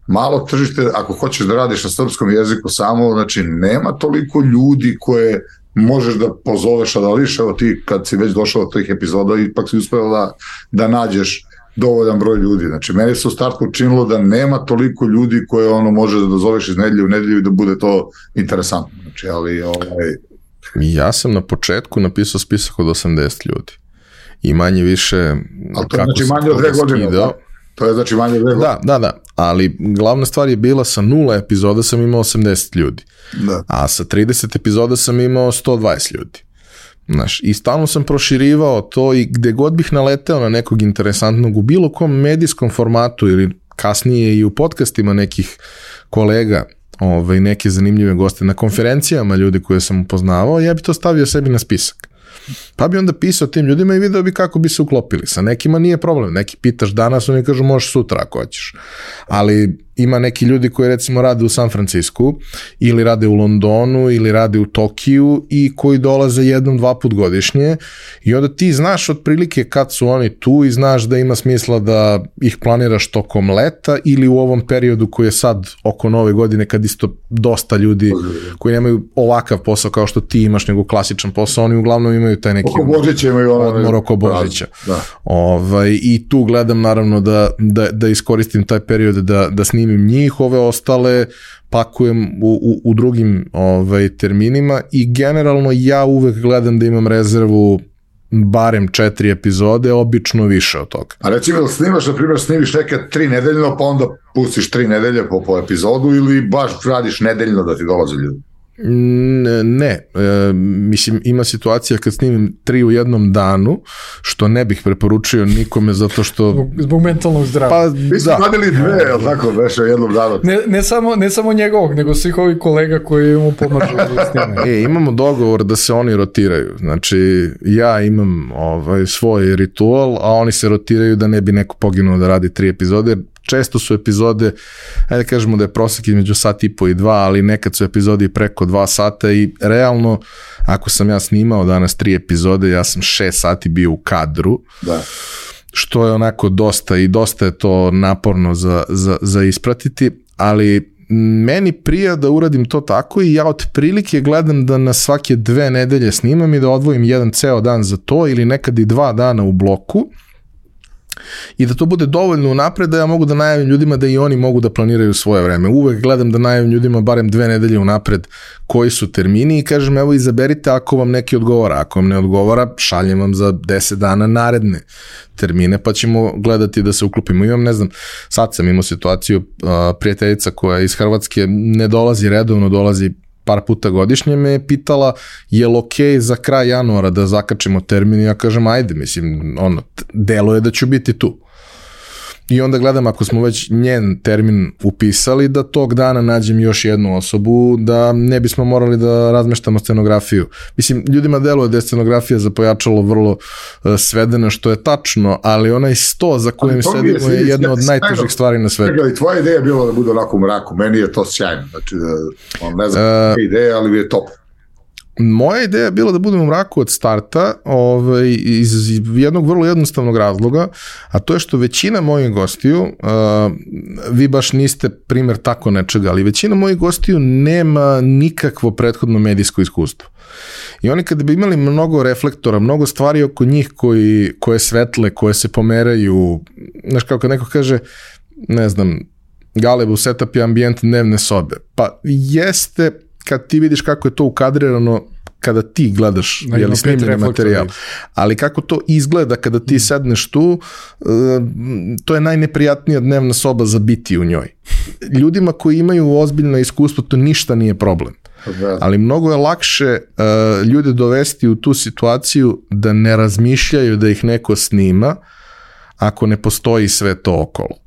malo tržište, ako hoćeš da radiš na srpskom jeziku samo, znači nema toliko ljudi koje možeš da pozoveš, a da liš, evo ti kad si već došao od tih epizoda, ipak si uspeo da nađeš dovoljan broj ljudi. Znači, meni se u startu učinilo da nema toliko ljudi koje može da dozoveš iz nedelje u nedelju i da bude to interesantno. Znači, ali... Ja sam na početku napisao spisak od 80 ljudi. I manje više... Ali to je znači manje od 2 godine, da? To je znači manje od 2 godine. Da, ali glavna stvar je bila sa 0 epizoda sam imao 80 ljudi. Da. A sa 30 epizoda sam imao 120 ljudi. Znaš, i stalno sam proširivao to i gde god bih naleteo na nekog interesantnog u bilo kom medijskom formatu ili kasnije i u podcastima nekih kolega neke zanimljive goste na konferencijama, ljudi koje sam upoznavao, ja bi to stavio sebi na spisak. Pa bi onda pisao tim ljudima i video bi kako bi se uklopili. Sa nekima nije problem, neki pitaš danas, oni kažu možeš sutra ako hoćeš. Ali ima neki ljudi koji recimo rade u San Francisku ili rade u Londonu ili rade u Tokiju i koji dolaze 1-2 put godišnje i onda ti znaš otprilike kad su oni tu i znaš da ima smisla da ih planiraš tokom leta ili u ovom periodu koji je sad oko Nove godine kad isto dosta ljudi koji nemaju ovakav posao kao što ti imaš nego klasičan posao, oni uglavnom imaju taj neki odmor oko Božića. I tu gledam naravno da iskoristim taj period da snimim njih, ove ostale pakujem u drugim terminima i generalno ja uvek gledam da imam rezervu barem 4 epizode, obično više od toga. A recimo snimaš, na primjer, snimiš neke 3 nedeljno, pa onda pustiš 3 nedelje po epizodu ili baš radiš nedeljno da ti dolaze ljudi? Ne, mislim ima situacija kad snimim 3 u jednom danu, što ne bih preporučio nikome zato što... Zbog mentalnog zdravlja. Pa, mi smo radili 2, jel tako, veše jednom danu? Ne samo njegovog, nego svih ovih kolega koji mu pomažu da snime. Imamo dogovor da se oni rotiraju, znači ja imam svoj ritual, a oni se rotiraju da ne bi neko poginuo da radi 3 epizode, često su epizode, ajde kažemo da je prosek između 1.5 i 2, ali nekad su epizodi preko 2 sata i realno, ako sam ja snimao danas 3 epizode, ja sam 6 sati bio u kadru, što je onako dosta i dosta je to naporno za ispratiti, ali meni prija da uradim to tako i ja otprilike gledam da na svake 2 nedelje snimam i da odvojim jedan ceo dan za to ili nekad i 2 dana u bloku, i da to bude dovoljno unapred da ja mogu da najavim ljudima da i oni mogu da planiraju svoje vreme. Uvek gledam da najavim ljudima barem 2 nedelje unapred koji su termini i kažem evo izaberite ako vam neki odgovara. Ako vam ne odgovara, šaljem vam za 10 dana naredne termine pa ćemo gledati da se uklopimo. Imam, ne znam, sad sam imao situaciju, prijateljica koja iz Hrvatske ne dolazi redovno, dolazi par puta godišnje, me je pitala je li okej za kraj januara da zakačimo termin i ja kažem ajde, mislim, delo je da ću biti tu. I onda gledam ako smo već njen termin upisali da tog dana nađem još jednu osobu da ne bismo morali da razmeštamo scenografiju. Mislim, ljudima deluje da je scenografija za pojačalo vrlo svedena, što je tačno, ali onaj sto za kojim sedimo je jedna od najtežih stvari na svetu. I tvoja ideja je bila da bude onako u mraku, meni je to sjajno, znači ne znam ideja, ali je top. Moja ideja je bila da budem u mraku od starta iz jednog vrlo jednostavnog razloga, a to je što većina mojih gostiju, vi baš niste primjer tako nečega, ali većina mojih gostiju nema nikakvo prethodno medijsko iskustvo. I oni kada bi imali mnogo reflektora, mnogo stvari oko njih koje svetle, koje se pomeraju, znaš kao kad neko kaže, ne znam, Galebu setup je ambijent dnevne sobe, pa jeste kad ti vidiš kako je to ukadrirano kada ti gledaš snimljeni materijal, ali kako to izgleda kada ti sedneš tu, to je najneprijatnija dnevna soba za biti u njoj. Ljudima koji imaju ozbiljno iskustvo to ništa nije problem, ali mnogo je lakše ljude dovesti u tu situaciju da ne razmišljaju da ih neko snima ako ne postoji sve to okolo.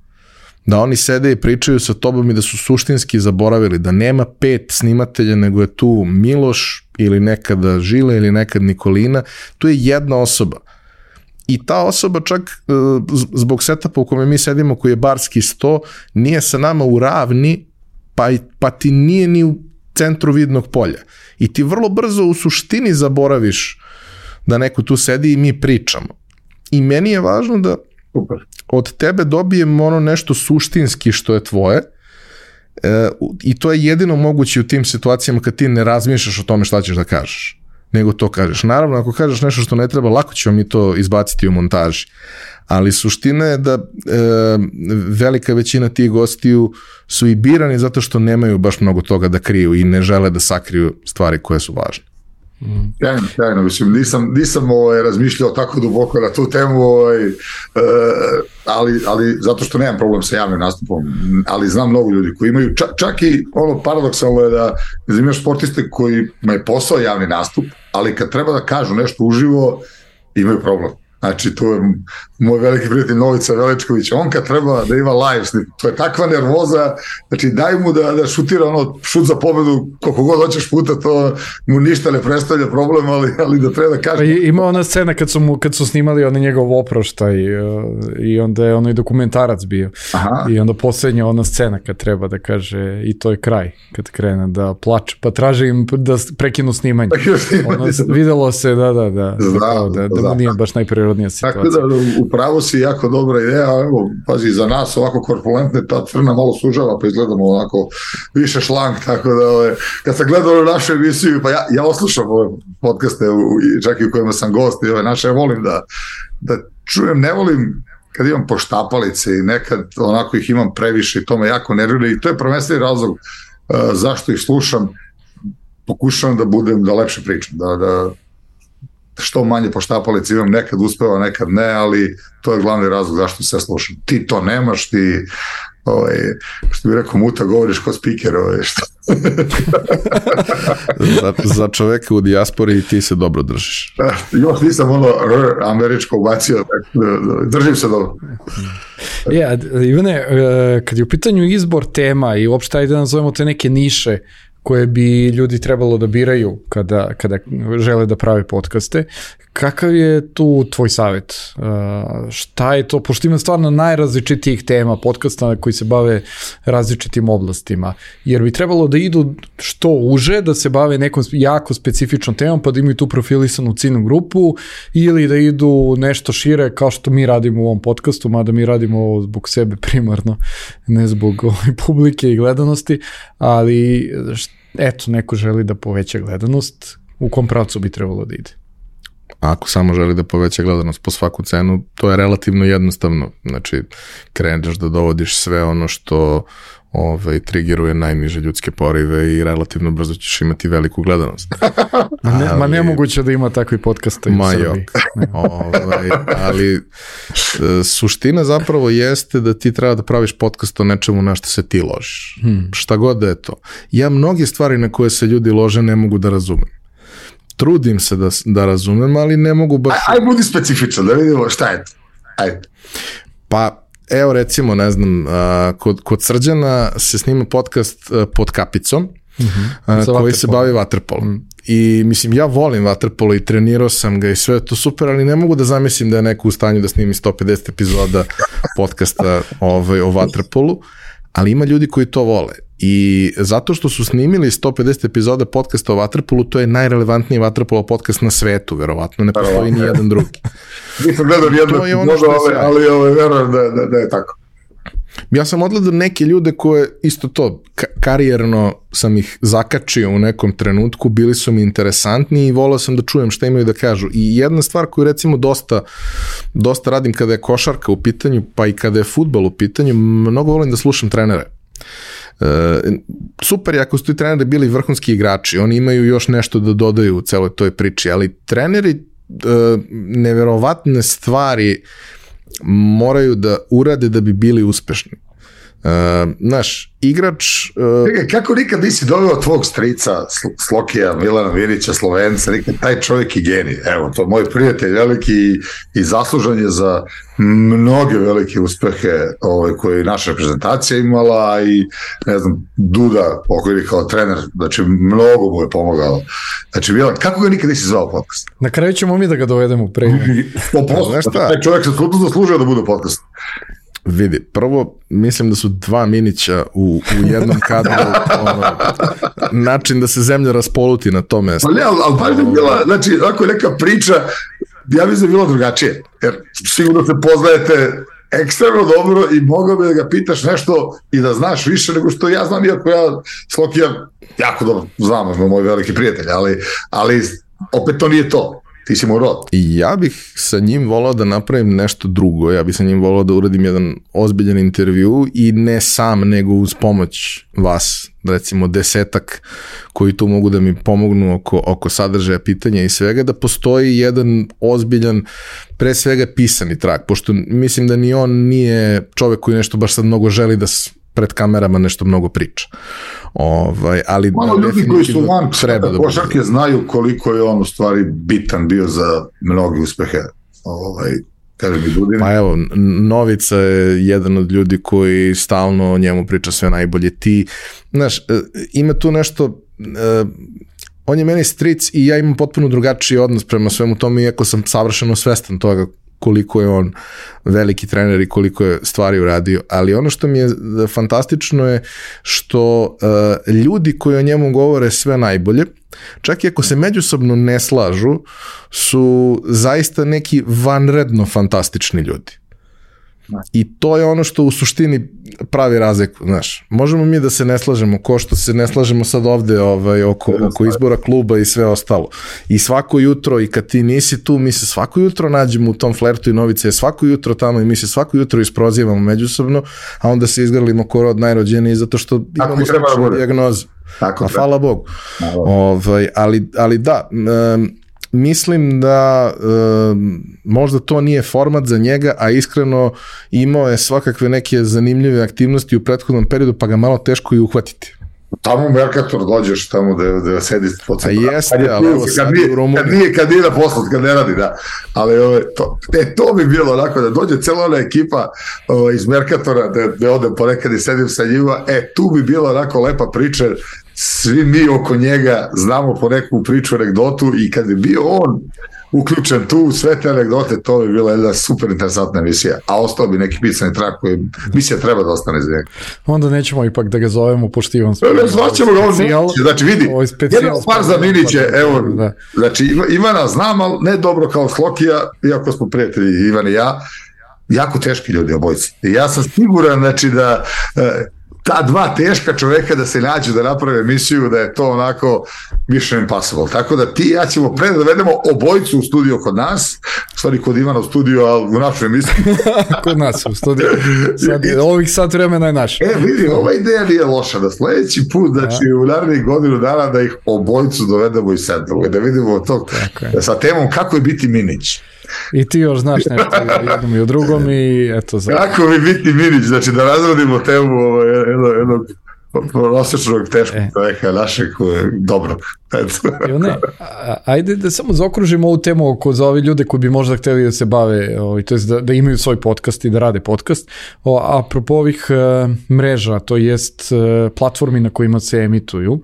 Da oni sede i pričaju sa tobom i da su suštinski zaboravili da nema 5 snimatelja, nego je tu Miloš ili nekada Žile ili nekad Nikolina, tu je jedna osoba. I ta osoba čak zbog setupa u kome mi sedimo, koji je barski sto, nije sa nama u ravni, pa ti nije ni u centru vidnog polja. I ti vrlo brzo u suštini zaboraviš da neko tu sedi i mi pričamo. I meni je važno da od tebe dobijem ono nešto suštinski što je tvoje i to je jedino moguće u tim situacijama kad ti ne razmišljaš o tome šta ćeš da kažeš, nego to kažeš. Naravno, ako kažeš nešto što ne treba, lako ćemo mi to izbaciti u montaži, ali suština je da velika većina tih gostiju su i birani zato što nemaju baš mnogo toga da kriju i ne žele da sakriju stvari koje su važne. Sjajno, mislim, nisam razmišljao tako duboko na tu temu, ali zato što nemam problem sa javnim nastupom, ali znam mnogo ljudi koji imaju, čak i ono paradoksalno je da imaš sportiste koji imaju posao javni nastup, ali kad treba da kažu nešto uživo, imaju problem. Znači, tu je moj veliki prijatelj Novica Veličković, on kad treba da ima live, to je takva nervoza, znači daj mu da šutira šut za pobedu koliko god hoćeš puta, to mu ništa ne predstavlja problem, ali da treba da kaže. Ima ona scena kad su snimali onaj njegov oproštaj i onda je onaj dokumentarac bio. Aha. I onda posljednja ona scena kad treba da kaže i to je kraj, kad krene da plače, pa traže im da prekinu snimanje. Videlo se, da mu nije baš najprirodnija situacija. Tako da upravo si jako dobra ideja, evo, pazi, za nas ovako korpulentne ta crna malo sužava, pa izgledamo onako više šlang, tako da kad sam gledao našu emisiju, pa ja oslušam ove podcaste, čak i u kojima sam gost i ove naše, ja volim da čujem, ne volim kad imam poštapalice i nekad onako ih imam previše i to me jako nervira i to je prvenstveni razlog zašto ih slušam, pokušavam da lepše pričam, da što manje poštapalice imam, nekad uspeva, nekad ne, ali to je glavni razlog zašto se slušam. Ti to nemaš, ti što bi rekao Muta, govoriš kao speaker. Za čoveka u dijaspori ti se dobro držiš. Još nisam američko ubacio, držim se dobro. Ivane, kad je u pitanju izbor tema i uopšte ajde da nazovemo te neke niše koje bi ljudi trebalo da biraju kada žele da prave podcaste. Kakav je tu tvoj savjet? Šta je to? Pošto ima stvarno najrazličitijih tema podcasta koji se bave različitim oblastima. Jer bi trebalo da idu što uže, da se bave nekom jako specifičnom temom, pa da imaju tu profilisanu ciljnu grupu, ili da idu nešto šire, kao što mi radimo u ovom podcastu, mada mi radimo ovo zbog sebe primarno, ne zbog publike i gledanosti, ali eto, neko želi da poveća gledanost, u kom pravcu bi trebalo da ide? Ako samo želi da poveća gledanost po svaku cenu, to je relativno jednostavno. Znači, kreneš da dovodiš sve ono što triggeruje najniže ljudske porive i relativno brzo ćeš imati veliku gledanost. Nemoguće da ima takvi podcasta i u Srbiji. Ali suština zapravo jeste da ti treba da praviš podcast o nečemu na što se ti ložiš. Šta god da je to. Ja mnoge stvari na koje se ljudi lože ne mogu da razumem. Trudim se da razumem, ali ne mogu baš... Aj, budi specifičan, da vidimo šta je to. Ajde. Pa, evo recimo, ne znam, kod Srđana se snima podcast Pod kapicom, koji se bavi vaterpolom. I mislim, ja volim vaterpolo i trenirao sam ga i sve je to super, ali ne mogu da zamislim da je neko u stanju da snimi 150 epizoda podcasta o vaterpolu, ali ima ljudi koji to vole. I zato što su snimili 150 epizoda podcasta o vaterpolu, to je najrelevantniji vaterpolo podcast na svetu, verovatno, ne postoji ni jedan drugi. Nisam gledao nijedno epizodu, ali verujem da je tako. Ja sam odgledao neke ljude koje, isto to, karijerno sam ih zakačio u nekom trenutku, bili su mi interesantni i volao sam da čujem šta imaju da kažu. I jedna stvar koju recimo dosta radim kada je košarka u pitanju, pa i kada je fudbal u pitanju, mnogo volim da slušam trenere. Super je ako su ti treneri bili vrhunski igrači, oni imaju još nešto da dodaju u celoj toj priči, ali treneri neverovatne stvari moraju da urade da bi bili uspešni. Naš igrač... Kako nikad nisi doveo tvog strica Slokija, Milana Virića, Slovenca, nikad taj čovjek je genij. Evo, to je moj prijatelj veliki i zaslužan je za mnoge velike uspehe koje je naša reprezentacija imala i ne znam, Duda, pokojni kao trener, znači mnogo mu je pomogao. Znači, Milan, kako ga nikad nisi zvao podcast? Na kraju ćemo mi da ga dovedemo pre. Taj čovjek se skutno zaslužio da bude podcast. Vidi, prvo, mislim da su dva Minića u jednom kadru način da se zemlja raspoluti na to mesto. Ali baš je bila, znači, ako je neka priča, ja mislim da je bilo drugačije, jer sigurno se poznajete ekstremno dobro i mogao bi da ga pitaš nešto i da znaš više nego što ja znam, iako ja Slokija jako dobro znam, moj veliki prijatelj, ali opet to nije to. Ti si mu rod. I ja bih sa njim volao da napravim nešto drugo. Ja bih sa njim volao da uradim jedan ozbiljan intervju i ne sam, nego uz pomoć vas, recimo 10 koji tu mogu da mi pomognu oko sadržaja pitanja i svega, da postoji jedan ozbiljan, pre svega pisani trag, pošto mislim da ni on nije čovek koji nešto baš sad mnogo želi da pred kamerama nešto mnogo priča. Ali malo ljudi koji su van košarke znaju koliko je on u stvari bitan bio za mnoge uspehe Pa evo, Novica je jedan od ljudi koji stalno o njemu priča sve najbolje. Ti, znaš, ima tu nešto, on je meni stric i ja imam potpuno drugačiji odnos prema svemu tome, iako sam savršeno svestan toga koliko je on veliki trener i koliko je stvari uradio, ali ono što mi je fantastično je što ljudi koji o njemu govore sve najbolje, čak i ako se međusobno ne slažu, su zaista neki vanredno fantastični ljudi. I to je ono što u suštini pravi razliku, znaš. Možemo mi da se ne slažemo, ko što se ne slažemo sad ovde oko izbora kluba i sve ostalo. I svako jutro, i kad ti nisi tu, mi se svako jutro nađemo u tom flertu i Novica je svako jutro tamo i mi se svako jutro isprozivamo međusobno, a onda se izgrlimo ko rod najrođeniji zato što imamo sličnu dijagnozu. A hvala Bogu. Ali da, mislim da možda to nije format za njega, a iskreno imao je svakakve neke zanimljive aktivnosti u prethodnom periodu, pa ga malo teško i uhvatiti. Tamo u Mercator dođeš tamo da sedi po centru. Jeste, ali evo sad u Rumuniji. Kad nije na poslu, kad ne radi, da. Ali to bi bilo onako, da dođe cijela ona ekipa iz Mercatora, da odem ponekad i sedim sa njima, tu bi bilo onako lepa priča, svi mi oko njega znamo po neku priču, anegdotu i kad bi bio on uključen tu, sve te anegdote, to bi bila jedna super interesantna emisija, a ostao bi neki pisani trak koji misija treba da ostane za njega. Onda nećemo ipak da ga zovemo poštivom. Ne zvaćemo ga on, znači vidi, jedan par za Miniće, evo, znači Ivana znam, ali ne dobro kao Slokija, iako smo prijatelji Ivan i ja, jako teški ljudi obojci. I ja sam siguran, znači da ta dva teška čoveka da se nađu da naprave emisiju, da je to onako mission impossible. Tako da ti i ja ćemo pre da dovedemo obojicu u studio kod nas, stvari kod Ivana u studiju, ali u našu emisiju. Kod nas u studiju. Ovih sat vremena je naš. Vidi, ova ideja nije loša, da sledeći put, znači u narednih godinu dana da ih obojicu dovedemo i sedemo, da vidimo to sa temom kako je biti Minić. I ti još znaš nešto o jednom i o drugom i eto. Kako bi biti Minić, znači da razradimo temu jednog prosječnog teškog čoveka našeg dobrog. Ajde da samo zaokružimo ovu temu za ove ljude koji bi možda hteli da se bave, to jest da imaju svoj podcast i da rade podcast. Apropo ovih mreža, to jest platformi na kojima se emituju.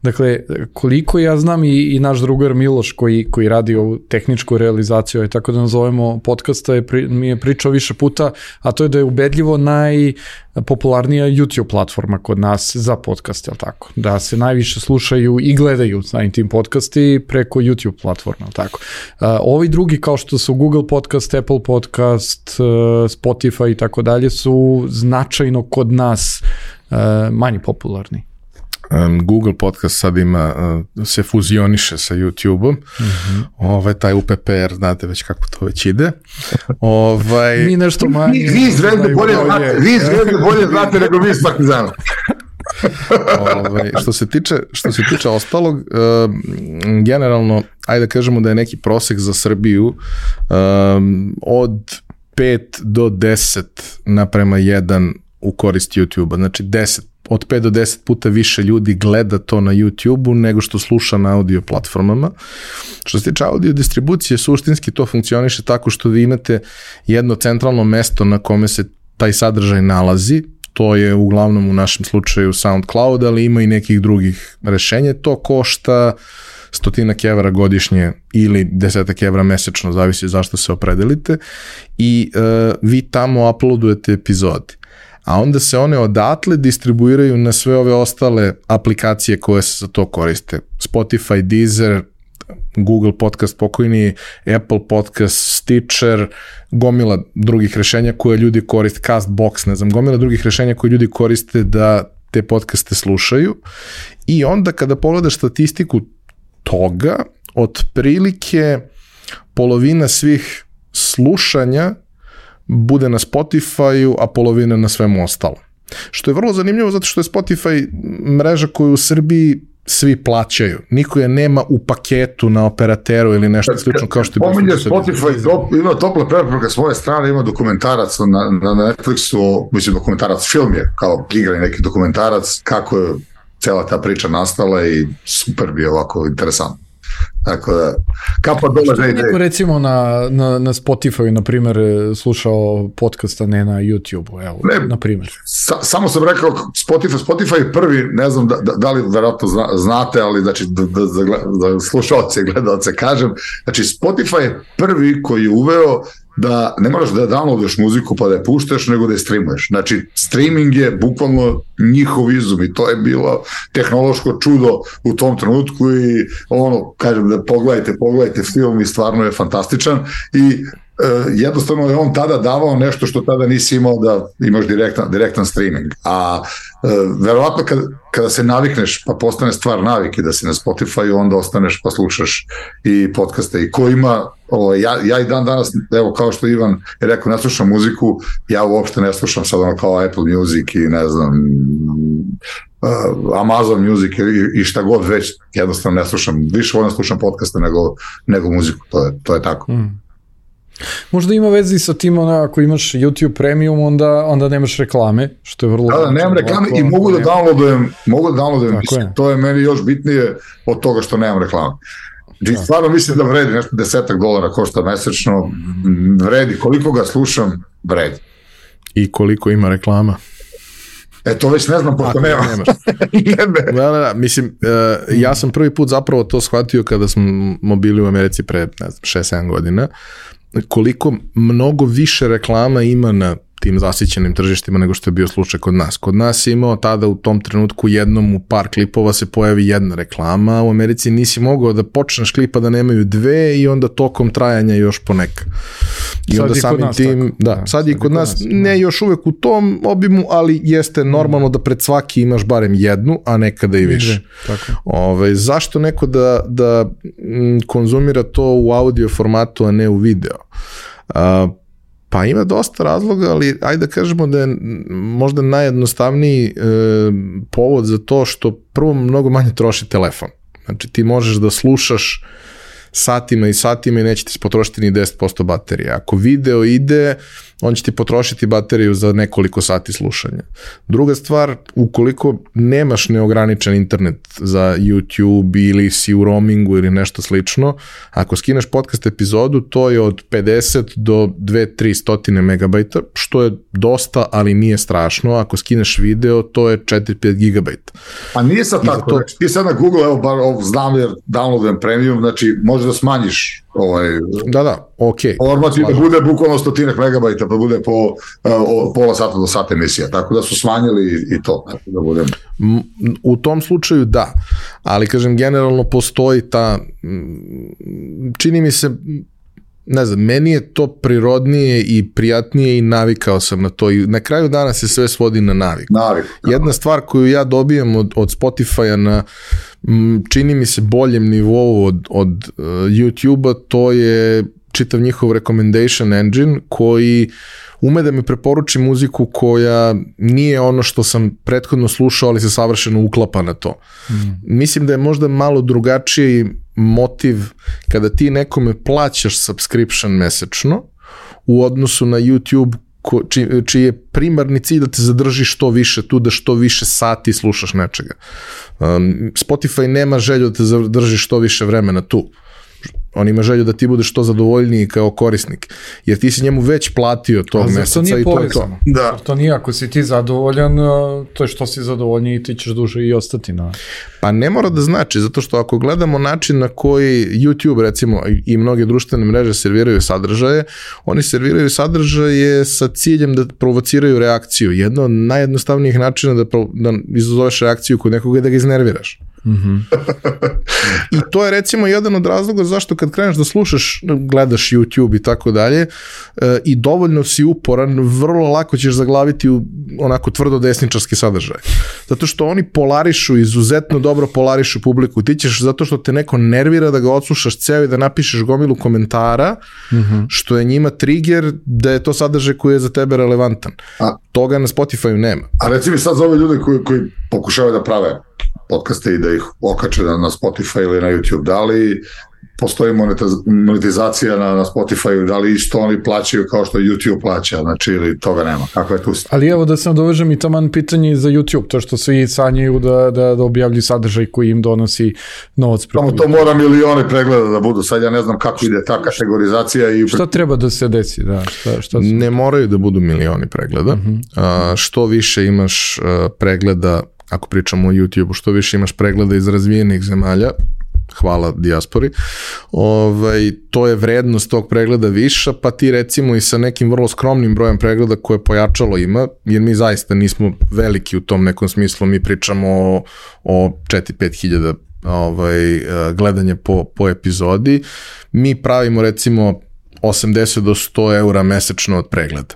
Dakle, koliko ja znam i naš drugar Miloš koji radi ovu tehničku realizaciju, tako da nazovemo podcasta, mi je pričao više puta, a to je da je ubedljivo najpopularnija YouTube platforma kod nas za podcast, jel tako? Da se najviše slušaju i gledaju na tim podcasti preko YouTube platforma, jel tako? Ovi drugi kao što su Google Podcast, Apple Podcast, Spotify i tako dalje su značajno kod nas manje popularni. Google Podcast sad se fuzioniše sa YouTube-om, taj UPPR, znate već kako to već ide. Mi nešto manje. Vi iz Zvezde bolje znate nego mi iz Partizana. Što se tiče ostalog, generalno, ajde da kažemo da je neki prosek za Srbiju od 5 do 10 naprema 1 u korist YouTube-a, znači od 5 do 10 puta više ljudi gleda to na YouTube-u nego što sluša na audio platformama. Što se tiče audio distribucije, suštinski to funkcioniše tako što vi imate jedno centralno mesto na kome se taj sadržaj nalazi, to je uglavnom u našem slučaju SoundCloud, ali ima i nekih drugih rešenja, to košta 100 evra godišnje ili 10 evra mesečno, zavisi zašto se opredelite, i vi tamo uploadujete epizode. A onda se one odatle distribuiraju na sve ove ostale aplikacije koje se za to koriste. Spotify, Deezer, Google Podcast pokojni, Apple Podcast, Stitcher, gomila drugih rešenja koje ljudi koriste, Castbox, ne znam, gomila drugih rešenja koje ljudi koriste da te podcaste slušaju. I onda kada pogledaš statistiku toga, otprilike polovina svih slušanja bude na Spotify-u, a polovina na svemu ostalo. Što je vrlo zanimljivo zato što je Spotify mreža koju u Srbiji svi plaćaju. Niko je nema u paketu na operateru ili nešto slično kao što je... Pominje Spotify, ima topla preporuka s moje strane, ima dokumentarac na Netflixu, mislim dokumentarac, film je kao igrani neki dokumentarac, kako je cela ta priča nastala i super bi je ovako interesantno. Tako da, kapa dole za ideje. Neko recimo na Spotify, na primjer, slušao podcasta, ne na YouTube-u, evo, na primjer. Samo sam rekao, Spotify je prvi, ne znam da li verovatno znate, ali znači da slušalce i gledalce kažem, znači Spotify je prvi koji je uveo da ne moraš da downloadaš muziku pa da je puštaš, nego da je streamuješ. Znači, streaming je bukvalno njihov izum i to je bilo tehnološko čudo u tom trenutku i kažem da pogledajte film i stvarno je fantastičan i jednostavno je on tada davao nešto što tada nisi imao da imaš direktan streaming. A verovatno kada se navikneš pa postane stvar navike da si na Spotify, onda ostaneš pa slušaš i podcaste i ko ima ja i dan danas, evo kao što Ivan je rekao, ne slušam muziku, ja uopšte ne slušam sad kao Apple Music i ne znam Amazon Music i šta god već, jednostavno ne slušam, više volim slušam podcaste nego muziku, to je tako. Možda ima vezi sa tim, ako imaš YouTube Premium, onda nemaš reklame, što je vrlo... Da, nemam reklame i mogu da downloadujem, to je meni još bitnije od toga što nemam reklame. Stvarno mislim da vredi, nešto $10 košta mesečno, vredi, koliko ga slušam, vredi. I koliko ima reklama? To već ne znam, pošto nema. Da, mislim, ja sam prvi put zapravo to shvatio kada smo bili u Americi pre, ne znam, 6-7 godina, koliko mnogo više reklama ima na tim zasićenim tržištima nego što je bio slučaj kod nas. Kod nas je imao tada u tom trenutku jednom u par klipova se pojavi jedna reklama, u Americi nisi mogao da počneš klipa da nemaju dve i onda tokom trajanja još poneka. I onda samim tim, sad je kod nas, ne još uvek u tom obimu, ali jeste normalno da pred svaki imaš barem jednu, a nekada i više. Zašto neko da konzumira to u audio formatu, a ne u video? Pa ima dosta razloga, ali ajde da kažemo da je možda najjednostavniji povod za to što prvo mnogo manje troši telefon. Znači ti možeš da slušaš satima i satima i neće ti potrošiti ni 10% baterije. Ako video ide, on će ti potrošiti bateriju za nekoliko sati slušanja. Druga stvar, ukoliko nemaš neograničen internet za YouTube ili si u roamingu ili nešto slično, ako skineš podcast epizodu, to je od 50 do 2-300 megabajta, što je dosta, ali nije strašno. Ako skineš video, to je 4-5 gigabajta. A nije sad tako, znači ti sad na Google, evo bar znam jer downloadujem premium, znači može da smanjiš okej. Format da bude bukvalno 100 megabajta, pa bude po pola sata do sata emisija, tako da su smanjili i to. Da budem. U tom slučaju da, ali kažem generalno postoji ta, čini mi se, ne znam, meni je to prirodnije i prijatnije i navikao sam na to i na kraju dana se sve svodi na naviku. Jedna stvar koju ja dobijem od Spotify-a na čini mi se boljem nivou od YouTube-a, to je čitav njihov recommendation engine koji ume da mi preporuči muziku koja nije ono što sam prethodno slušao, ali se savršeno uklapa na to. Mislim da je možda malo drugačiji motiv kada ti nekome plaćaš subscription mesečno u odnosu na YouTube čiji je primarni cilj da te zadrži što više tu, da što više sati slušaš nečega. Spotify nema želju da te zadrži što više vremena tu. On ima želju da ti budeš što zadovoljniji kao korisnik, jer ti si njemu već platio tog meseca i to je to. Da. To nije, ako si ti zadovoljan, to je što si zadovoljniji, ti ćeš duže i ostati na... Pa ne mora da znači, zato što ako gledamo način na koji YouTube recimo i mnoge društvene mreže serviraju sadržaje, oni serviraju sadržaje sa ciljem da provociraju reakciju. Jedno od najjednostavnijih načina da izazoveš reakciju kod nekoga je da ga iznerviraš. I to je recimo jedan od razloga zašto kad kreneš da slušaš, gledaš YouTube i tako dalje i dovoljno si uporan, vrlo lako ćeš zaglaviti u onako tvrdo desničarski sadržaj. Zato što oni polarišu, izuzetno dobro polarišu publiku. Ti ćeš, zato što te neko nervira da ga odslušaš ceo i da napišeš gomilu komentara, što je njima trigger da je to sadržaj koji je za tebe relevantan. Toga na Spotify-u nema. A recimo sad za ove ljude koji pokušavaju da prave podcaste i da ih okače na Spotify ili na YouTube, da li postoji monetizacija na Spotify, da li isto oni plaćaju kao što YouTube plaća, znači ili toga nema, kako je tu? Ali evo da sam dovežem i taman pitanje za YouTube, to što svi sanjaju da objavljuju sadržaj koji im donosi novac. Samo to mora milioni pregleda da budu, sad ja ne znam kako ide ta kategorizacija. Šta treba da se desi? Da, šta ne moraju da budu milioni pregleda, što više imaš pregleda, ako pričamo o YouTube-u, što više imaš pregleda iz razvijenih zemalja, hvala dijaspori, to je vrednost tog pregleda viša, pa ti recimo i sa nekim vrlo skromnim brojem pregleda koje pojačalo ima, jer mi zaista nismo veliki u tom nekom smislu, mi pričamo o 4-5 hiljada gledanje po epizodi, mi pravimo recimo 80 do 100 eura mesečno od pregleda.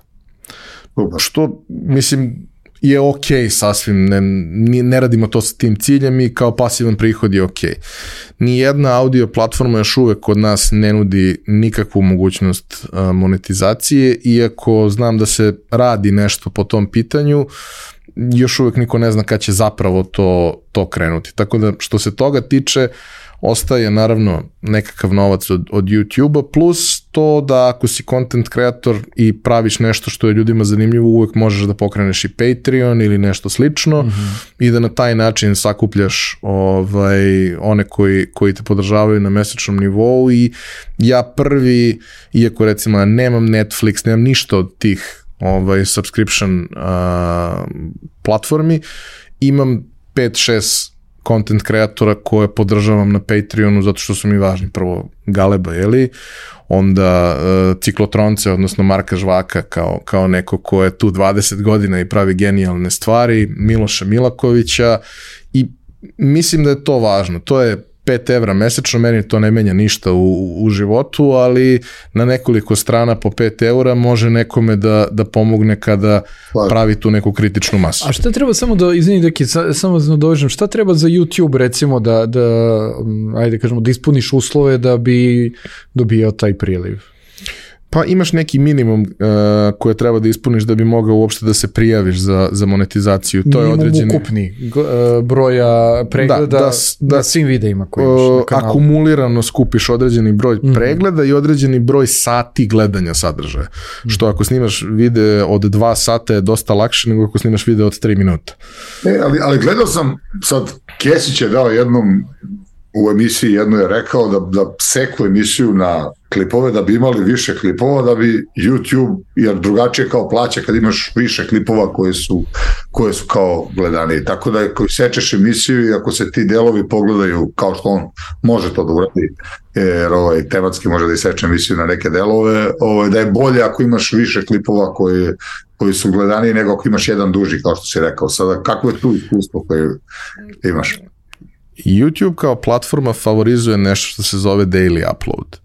Što, mislim, je ok sasvim, ne radimo to sa tim ciljem i kao pasivan prihod je ok. Nijedna audio platforma još uvek kod nas ne nudi nikakvu mogućnost monetizacije, iako znam da se radi nešto po tom pitanju, još uvek niko ne zna kad će zapravo to krenuti. Tako da što se toga tiče, ostaje naravno nekakav novac od YouTube-a, plus to da ako si content creator i praviš nešto što je ljudima zanimljivo, uvek možeš da pokreneš i Patreon ili nešto slično i da na taj način sakupljaš one koji te podržavaju na mesečnom nivou. I ja prvi, iako recimo nemam Netflix, nemam ništa od tih subscription platformi, imam 5-6 content kreatora koje podržavam na Patreonu zato što su mi važni. Prvo Galeba, onda Ciklotronce, odnosno Marka Žvaka kao neko ko je tu 20 godina i pravi genijalne stvari, Miloša Milakovića, i mislim da je to važno. To je 5 evra mesečno, meni to ne menja ništa u životu, ali na nekoliko strana po 5 eura može nekome da pomogne kada pravi tu neku kritičnu masu. A šta treba, samo da, izvini Deki, samo da dovežem, šta treba za YouTube recimo da ajde kažemo, da ispuniš uslove da bi dobijao taj priliv? Pa imaš neki minimum koje treba da ispuniš da bi mogao uopšte da se prijaviš za monetizaciju. To je određeni ukupni broja pregleda na svim videima koji imaš na kanalu. Akumulirano skupiš određeni broj pregleda i određeni broj sati gledanja sadržaja. Što ako snimaš video od 2 sata je dosta lakše nego ako snimaš video od 3 minuta. Ali gledao sam, sad Kesić je dao jednom u emisiji, jedno je rekao da seku emisiju na klipove, da bi imali više klipova, da bi YouTube, jer drugačije kao plaća kad imaš više klipova koje su kao gledani. Tako da ako sečeš emisiju i ako se ti delovi pogledaju kao što on može to da uradi, jer tematski može da iseče emisiju na neke delove, da je bolje ako imaš više klipova koji su gledani nego ako imaš jedan duži, kao što si rekao. Sada, kako je tu iskustvo koje imaš? YouTube kao platforma favorizuje nešto što se zove daily upload.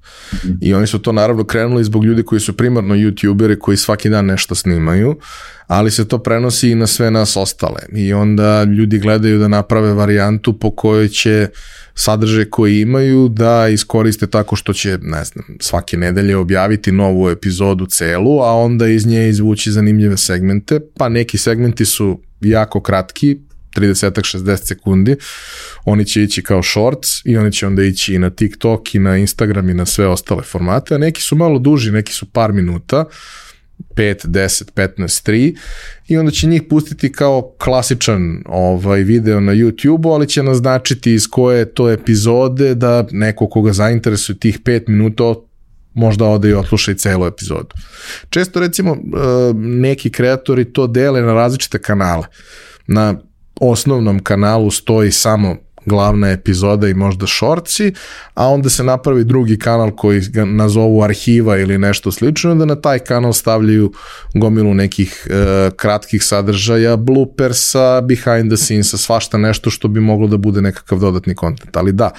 I oni su to naravno krenuli zbog ljudi koji su primarno YouTuberi koji svaki dan nešto snimaju, ali se to prenosi i na sve nas ostale. I onda ljudi gledaju da naprave varijantu po kojoj će sadržaj koji imaju da iskoriste tako što će, ne znam, svake nedelje objaviti novu epizodu celu, a onda iz nje izvući zanimljive segmente, pa neki segmenti su jako kratki, 30-60 sekundi, oni će ići kao shorts i oni će onda ići i na TikTok i na Instagram i na sve ostale formate, a neki su malo duži, neki su par minuta, 5, 10, 15, 3 i onda će njih pustiti kao klasičan video na YouTube-u, ali će naznačiti iz koje to epizode da neko koga zainteresuje tih 5 minuta možda ode i odsluša i celu epizodu. Često recimo neki kreatori to dele na različite kanale. Na osnovnom kanalu stoji samo glavna epizoda i možda shortsi, a onda se napravi drugi kanal koji ga nazovu arhiva ili nešto slično, da na taj kanal stavljaju gomilu nekih kratkih sadržaja, bloopersa, behind the scenesa, svašta nešto što bi moglo da bude nekakav dodatni kontent. Ali da,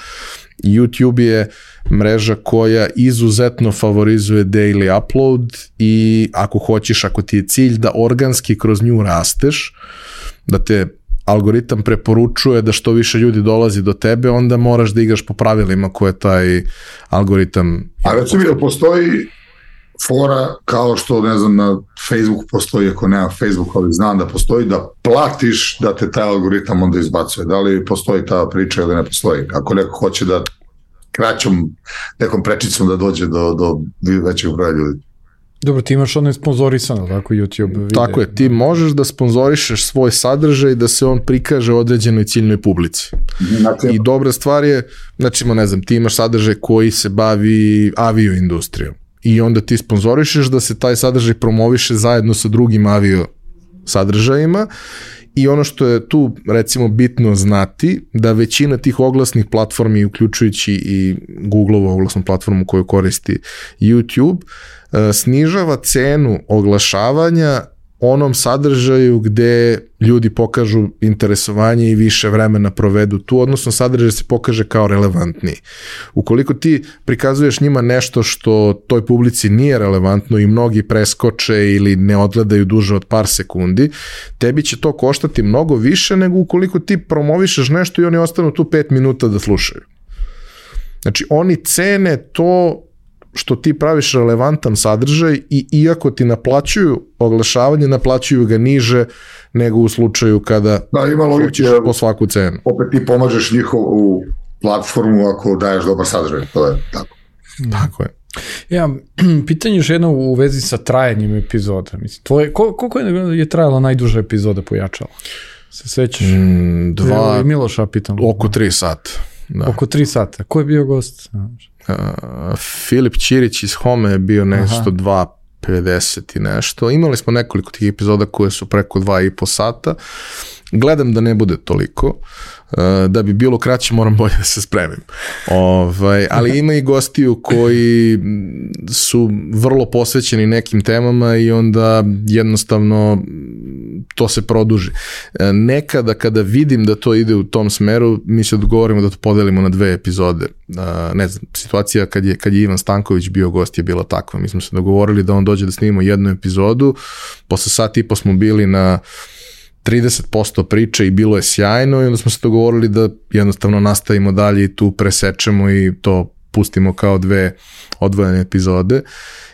YouTube je mreža koja izuzetno favorizuje daily upload i ako hoćeš, ako ti je cilj da organski kroz nju rasteš, da te algoritam preporučuje da što više ljudi dolazi do tebe, onda moraš da igraš po pravilima koje taj algoritam... A recimo da postoji fora kao što, ne znam, na Facebooku postoji, ako nema Facebook, ali znam da postoji, da platiš da te taj algoritam onda izbacuje. Da li postoji ta priča ili ne postoji? Ako neko hoće da kraćom nekom prečicom da dođe do većeg broja ljudi. Dobro, ti imaš ono sponzorisano, tako YouTube video. Tako je, ti možeš da sponzorišeš svoj sadržaj da se on prikaže određenoj ciljnoj publici. I dobra stvar je, znači, ne znam, ti imaš sadržaj koji se bavi avio industrijom i onda ti sponzorišeš da se taj sadržaj promoviše zajedno sa drugim avio sadržajima. I ono što je tu, recimo, bitno znati, da većina tih oglasnih platformi, uključujući i Google-ovu oglasnu platformu koju koristi YouTube, snižava cenu oglašavanja onom sadržaju gde ljudi pokažu interesovanje i više vremena provedu tu, odnosno sadržaj se pokaže kao relevantniji. Ukoliko ti prikazuješ njima nešto što toj publici nije relevantno i mnogi preskoče ili ne odgledaju duže od par sekundi, tebi će to koštati mnogo više nego ukoliko ti promovišeš nešto i oni ostanu tu 5 minuta da slušaju. Znači, oni cene to što ti praviš relevantan sadržaj i iako ti naplaćuju oglašavanje, naplaćuju ga niže nego u slučaju kada hoćeš po svaku cenu. Opet ti pomažeš njihovu platformu ako daješ dobar sadržaj, to je tako. Tako je. Ja, pitanje još jedno u vezi sa trajanjem epizoda. Mislim, koliko je trajala najduža epizoda Pojačala? Se sećaš? Miloša pitam. Oko 3 sata. Da. Oko 3 sata. Ko je bio gost? Filip Ćirić iz Home je bio nešto 2:50 i nešto. Imali smo nekoliko tih epizoda koje su preko 2,5 sata. Gledam da ne bude toliko. Da bi bilo kraće moram bolje da se spremim. Ali ima i gostiju koji su vrlo posvećeni nekim temama i onda jednostavno to se produži. Nekada kada vidim da to ide u tom smeru, mi se dogovorimo da to podelimo na 2 epizode. Ne znam, situacija kad je Ivan Stanković bio gost je bila takva. Mi smo se dogovorili da on dođe da snimimo 1 epizodu, posle sat i po smo bili na 30% priče i bilo je sjajno i onda smo se dogovorili da jednostavno nastavimo dalje i tu presečemo i to pustimo kao 2 odvojene epizode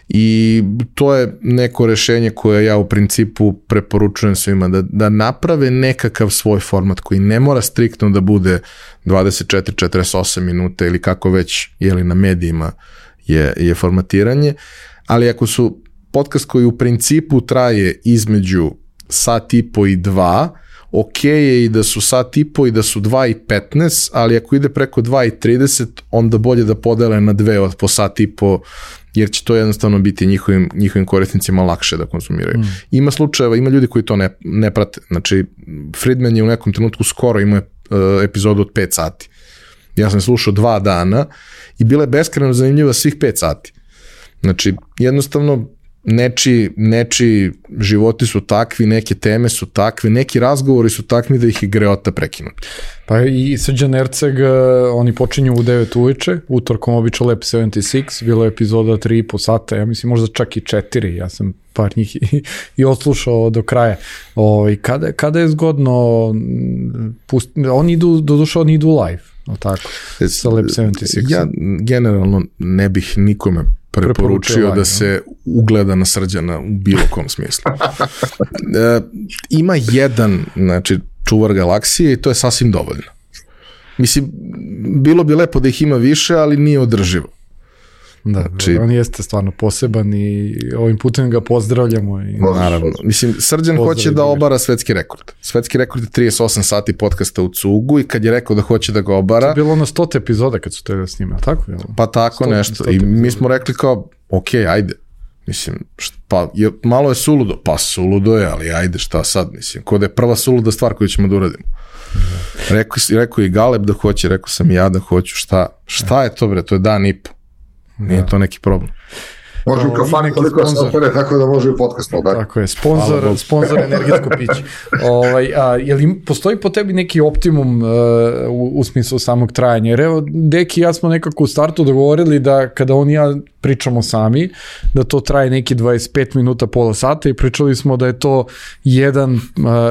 i to je neko rešenje koje ja u principu preporučujem svima da naprave nekakav svoj format koji ne mora striktno da bude 24-48 minuta ili kako već na medijima je formatiranje, ali ako su podcast koji u principu traje između sat i po i 2, ok je i da su sat i po i da su 2:15, ali ako ide preko 2:30, onda bolje da podele na 2 od po sat i po, jer će to jednostavno biti njihovim korisnicima lakše da konzumiraju. Ima slučajeva, ima ljudi koji to ne prate. Znači, Friedman je u nekom trenutku skoro imao epizodu od 5 sati. Ja sam slušao 2 dana i bila je beskrajno zanimljiva svih 5 sati. Znači, jednostavno, nečiji životi su takvi, neke teme su takve, neki razgovori su takvi da ih je greota prekinuti. Pa i Srđan Erceg, oni počinju u 9 uveče, utorkom obično Lab 76, bilo je epizoda 3,5 sata, ja mislim možda čak i 4, ja sam par njih i odslušao do kraja. Kada je zgodno, oni idu live, tako, sa Lab 76. Ja generalno ne bih nikome preporučio da se ugleda na Srđana u bilo kom smislu. Ima jedan, znači, čuvar galaksije i to je sasvim dovoljno. Mislim, bilo bi lepo da ih ima više, ali nije održivo. Da, znači, on jeste stvarno poseban i ovim putem ga pozdravljamo. Naravno. Mislim, Srđan hoće da obara svetski rekord. Svetski rekord je 38 sati podcasta u cugu i kad je rekao da hoće da ga obara... To je bilo na 100 epizoda kad su te da snima, tako? Pa tako nešto. I mi smo rekli kao, ok, ajde. Mislim, malo je suludo. Pa suludo je, ali ajde, šta sad? Mislim, kod je prva suluda stvar koju ćemo da uradimo. Rekao i Galeb da hoće, rekao sam i ja da hoću. Šta je to, bre? To je dan i po. Nije to neki problem. Može u kafani koliko se opere, tako da može i podcast. Tako je, sponsor energetsko piće. Je li postoji po tebi neki optimum u smislu samog trajanja? Jer evo, Deki i ja smo nekako u startu dogovorili da kada on i ja pričamo sami, da to traje neki 25 minuta, pola sata i pričali smo da je to jedan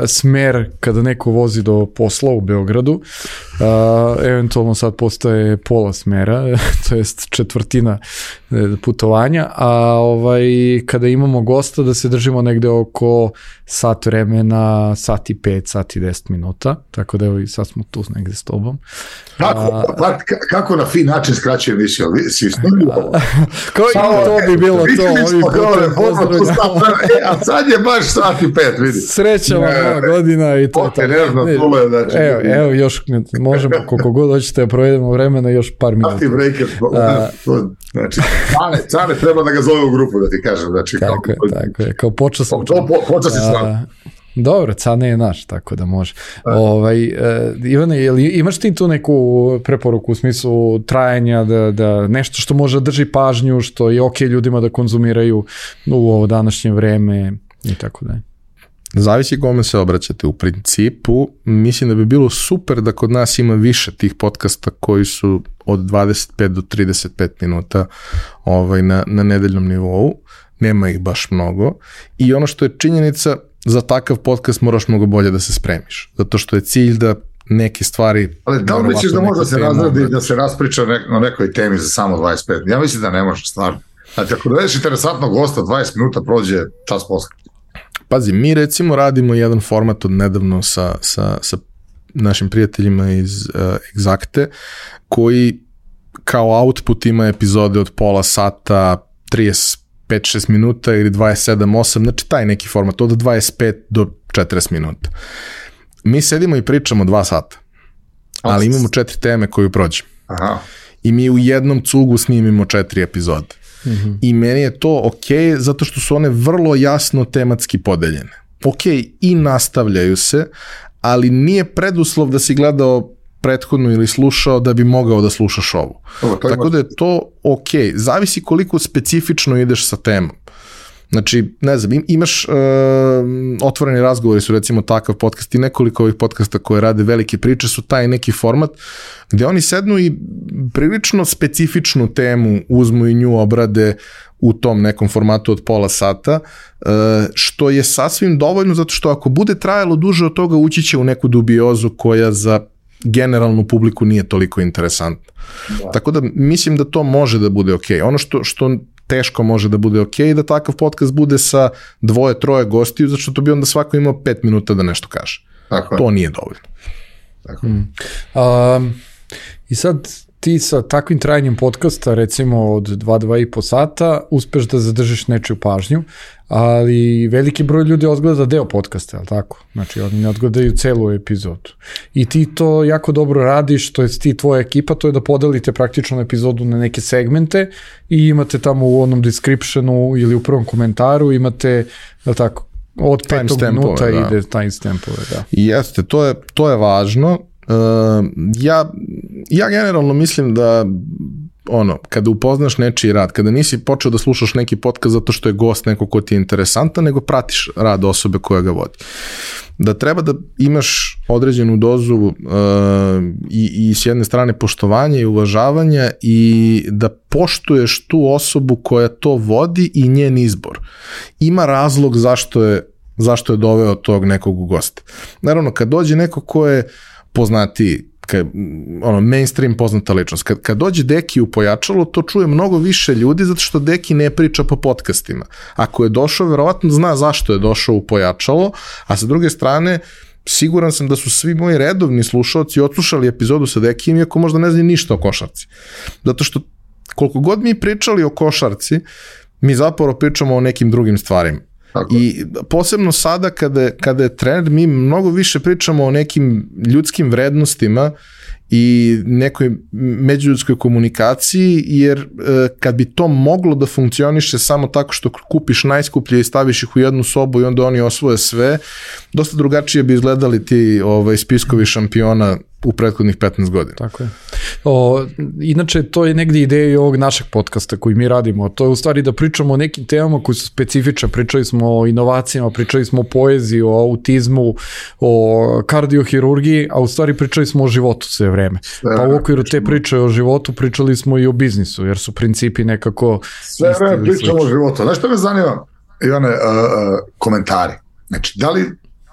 smer kada neko vozi do posla u Beogradu. Eventualno sad postaje pola smera, to jest četvrtina putovanja, a kada imamo gosta da se držimo negde oko sat vremena, sat i 5, sat i 10 minuta, tako da evo i sad smo tu negde s tobom. Kako na fin način skraćuje emisiju? Kao i to bi bilo to. A sad je baš sat i 5, vidi. Sreća vam nova godina i to. Evo, još možemo koliko god hoćete da provedemo vremena, još par minuta. Sati breaker, znači, Cane treba da ga zove u grupu, da ti kažem. Znači, tako je, kao počeo sam. Počeo si stvarno. Dobro, Cane je naš, tako da može. Ivane, imaš ti tu neku preporuku u smislu trajanja, da nešto što može drži pažnju, što je okej ljudima da konzumiraju u ovo današnje vreme i tako da je? Zavisi kome se obraćate. U principu, mislim da bi bilo super da kod nas ima više tih podcasta koji su od 25 do 35 minuta na nedeljnom nivou. Nema ih baš mnogo. I ono što je činjenica, za takav podcast moraš mnogo bolje da se spremiš. Zato što je cilj da neke stvari... Ali da li misliš da može da se razradi da se raspriča o nekoj temi za samo 25? Ja mislim da ne može, stvarno. Znači, ako dovedeš interesantnog gosta, 20 minuta prođe čas posle. Pazi, mi recimo radimo jedan format od nedavno sa našim prijateljima iz Exacte, koji kao output ima epizode od pola sata, 35-6 minuta ili 27-8, znači taj neki format, od 25 do 40 minuta. Mi sedimo i pričamo 2 sata, ali imamo 4 teme koju prođemo. Aha. I mi u jednom cugu snimimo 4 epizode. Mm-hmm. I meni je to okej, zato što su one vrlo jasno tematski podeljene. Okej, i nastavljaju se, ali nije preduslov da si gledao prethodno ili slušao da bi mogao da slušaš ovu. Tako da je to okej. Zavisi koliko specifično ideš sa temom. Znači, ne znam, imaš otvoreni razgovori su recimo takav podcast i nekoliko ovih podcasta koje rade velike priče su taj neki format gde oni sednu i prilično specifičnu temu uzmu i nju obrade u tom nekom formatu od pola sata, što je sasvim dovoljno zato što ako bude trajalo duže od toga ući će u neku dubiozu koja za generalnu publiku nije toliko interesantna. Da. Tako da mislim da to može da bude okej. Ono što teško može da bude okej, da takav podcast bude sa 2-3 gostiju, zato što to bi onda svako imao 5 minuta da nešto kaže. Tako to nije dovoljno. Tako. I sad ti sa takvim trajanjem podcasta, recimo od 2-2,5 sata, uspeš da zadržiš nečiju pažnju, ali veliki broj ljudi odgleda deo podcasta, je li tako? Znači, oni ne odgledaju celu epizodu. I ti to jako dobro radiš, to je ti tvoja ekipa, to je da podelite praktično epizodu na neke segmente i imate tamo u onom descriptionu ili u prvom komentaru, imate, je li tako, od 5 minuta ide timestampove, da. Jeste, to je važno. Ja generalno mislim da kada upoznaš nečiji rad, kada nisi počeo da slušaš neki podcast zato što je gost neko ko ti je interesantan, nego pratiš rad osobe koja ga vodi. Da treba da imaš određenu dozu i s jedne strane poštovanja i uvažavanja i da poštuješ tu osobu koja to vodi i njen izbor. Ima razlog zašto je doveo tog nekog gosta. Naravno, kad dođe neko ko je poznatiji, mainstream poznata ličnost. Kad dođe Deki u Pojačalo, to čuje mnogo više ljudi zato što Deki ne priča po podcastima. Ako je došao, verovatno zna zašto je došao u Pojačalo, a sa druge strane, siguran sam da su svi moji redovni slušalci odslušali epizodu sa Dekijem, iako možda ne znaju ništa o košarci. Zato što koliko god mi pričali o košarci, mi zapravo pričamo o nekim drugim stvarima. Tako. I posebno sada kada je trend, mi mnogo više pričamo o nekim ljudskim vrednostima i nekoj međuljudskoj komunikaciji, jer kad bi to moglo da funkcioniše samo tako što kupiš najskuplje i staviš ih u jednu sobu i onda oni osvoje sve, dosta drugačije bi izgledali ti spiskovi šampiona u prethodnih 15 godina. Tako je. Inače, to je negdje ideja i ovog našeg podcasta koji mi radimo. To je u stvari da pričamo o nekim temama koji su specifične. Pričali smo o inovacijama, pričali smo o poeziji, o autizmu, o kardiohirurgiji, a u stvari pričali smo o životu sve vreme. Pa u okviru te priče o životu pričali smo i o biznisu, jer su principi nekako... Sve vreme pričamo o životu. Znaš što me zanima? Ivane, komentari. Znači,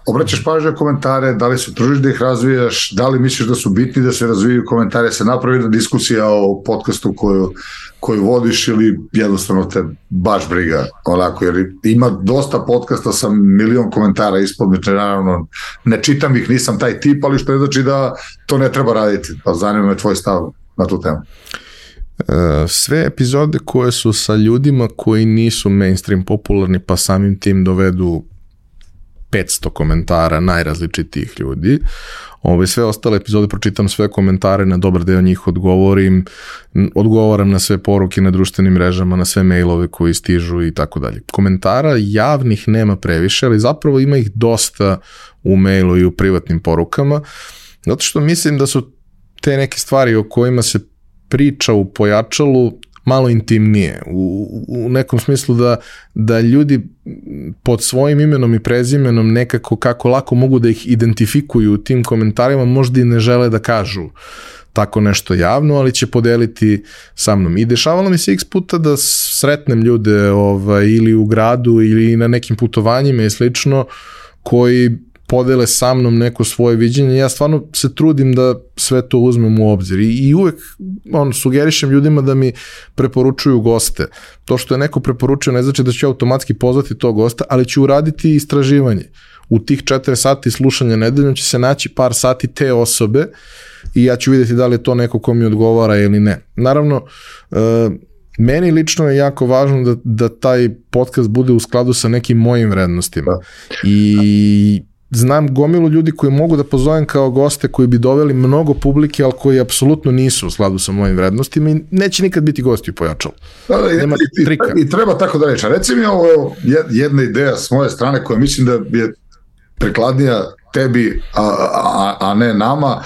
obraćaš pažnju na komentare, da li se tružiš da ih razvijaš, da li misliš da su bitni da se razvijaju komentare, se napravi da diskusija o podcastu koju vodiš ili jednostavno te baš briga, onako, jer ima dosta podcasta sa milion komentara ispod, naravno ne čitam ih, nisam taj tip, ali što ne znači da to ne treba raditi, pa zanima me tvoj stav na tu temu. Sve epizode koje su sa ljudima koji nisu mainstream popularni, pa samim tim dovedu 500 komentara najrazličitijih ljudi. Sve ostale epizode pročitam sve komentare, na dobar deo njih odgovaram na sve poruke na društvenim mrežama, na sve mailove koji stižu i tako dalje. Komentara javnih nema previše, ali zapravo ima ih dosta u mailu i u privatnim porukama, zato što mislim da su te neke stvari o kojima se priča u pojačalu malo intimnije, u nekom smislu da ljudi pod svojim imenom i prezimenom nekako kako lako mogu da ih identifikuju u tim komentarima, možda i ne žele da kažu tako nešto javno, ali će podeliti sa mnom. I dešavalo mi se x puta da sretnem ljude ili u gradu ili na nekim putovanjima i slično, koji podele sa mnom neko svoje viđenje. Ja stvarno se trudim da sve to uzmem u obzir i uvek sugerišem ljudima da mi preporučuju goste. To što je neko preporučio ne znači da ću automatski pozvati tog gosta, ali ću uraditi istraživanje. U tih 4 sati slušanja nedeljom će se naći par sati te osobe i ja ću vidjeti da li je to neko ko mi odgovara ili ne. Naravno, meni lično je jako važno da taj podcast bude u skladu sa nekim mojim vrednostima. I znam gomilu ljudi koji mogu da pozovem kao goste koji bi doveli mnogo publike, ali koji apsolutno nisu u skladu sa mojim vrednostima i neće nikad biti gosti u pojačalu. Nema trika. I treba tako da reći. Reci mi ovo jedna ideja s moje strane koja mislim da je prikladnija tebi, a ne nama.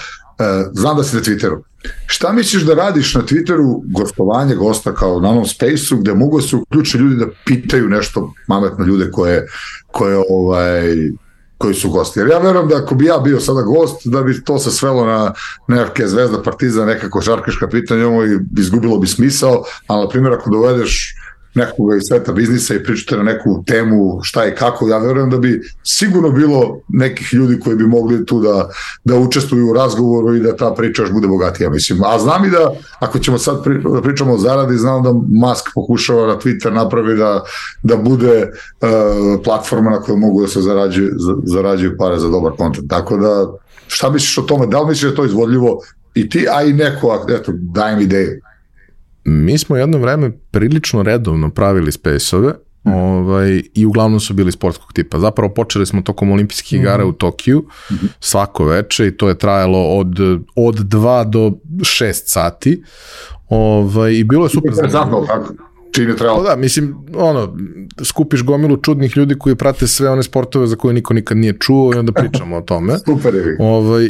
Znam da si na Twitteru. Šta misliš da radiš na Twitteru, gostovanje gosta kao na onom Space-u, gde mogu se uključiti ljudi da pitaju nešto mametno ljude koji su gosti. Jer ja verujem da ako bi ja bio sada gost, da bi to se svelo na nekakve Zvezda, Partizan, neka košarkaška pitanja, izgubilo bi smisao, ali na primjer ako dovedeš nekoga iz sveta biznisa i pričate na neku temu šta i kako, ja verujem da bi sigurno bilo nekih ljudi koji bi mogli tu da učestvuju u razgovoru i da ta priča još bude bogatija, mislim. A znam i da, ako ćemo sad pričamo o zaradi, znam da Musk pokušava na Twitter napravi da bude platforma na kojoj mogu da se zarađuju pare za dobar kontent. Tako da, šta misliš o tome? Da li misliš da je to izvodljivo i ti, a i neko, eto, dajem ideju. Mi smo jedno vreme prilično redovno pravili space-ove i uglavnom su bili sportskog tipa. Zapravo počeli smo tokom olimpijskih igara u Tokiju svako veče i to je trajalo od 2 do 6 sati i bilo je super zanimljivo. Da, mislim, skupiš gomilu čudnih ljudi koji prate sve one sportove za koje niko nikad nije čuo i onda pričamo o tome. Super je.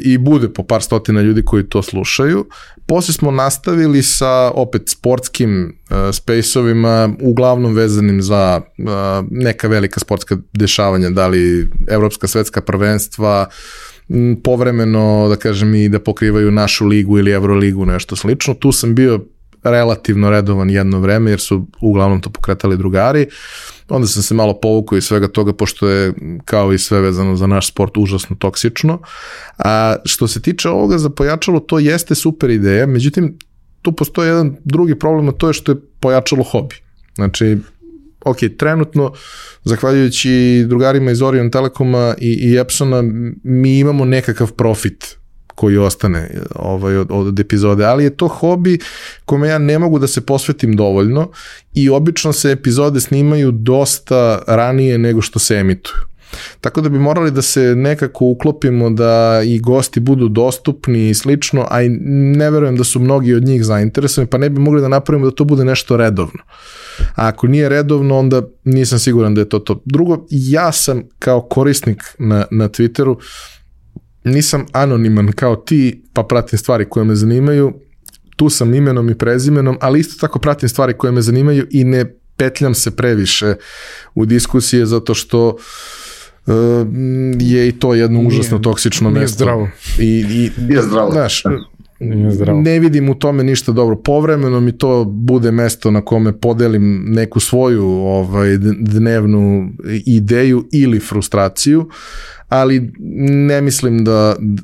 I bude po par stotina ljudi koji to slušaju. Posle smo nastavili sa opet sportskim space-ovima, uglavnom vezanim za neka velika sportska dešavanja, da li evropska svetska prvenstva, povremeno, da kažem, i da pokrivaju našu ligu ili Euroligu, nešto slično. Tu sam bio relativno redovan jedno vreme, jer su uglavnom to pokretali drugari. Onda sam se malo povukao iz svega toga, pošto je, kao i sve vezano za naš sport, užasno toksično. A što se tiče ovoga za pojačalo, to jeste super ideja, međutim, tu postoji jedan drugi problem, a to je što je pojačalo hobi. Znači, ok, trenutno, zahvaljujući drugarima iz Orion Telekoma i Epsona, mi imamo nekakav profit koji ostane od epizode, ali je to hobi kome ja ne mogu da se posvetim dovoljno i obično se epizode snimaju dosta ranije nego što se emituju. Tako da bi morali da se nekako uklopimo da i gosti budu dostupni i slično, a i ne verujem da su mnogi od njih zainteresovani, pa ne bi mogli da napravimo da to bude nešto redovno. A ako nije redovno, onda nisam siguran da je to. Drugo, ja sam kao korisnik na Twitteru, nisam anoniman kao ti, pa pratim stvari koje me zanimaju, tu sam imenom i prezimenom, ali isto tako pratim stvari koje me zanimaju i ne petljam se previše u diskusije, zato što je i to jedno užasno toksično mesto. Nije zdravo. Znaš, ne vidim u tome ništa dobro. Povremeno mi to bude mesto na kome podelim neku svoju dnevnu ideju ili frustraciju, ali ne mislim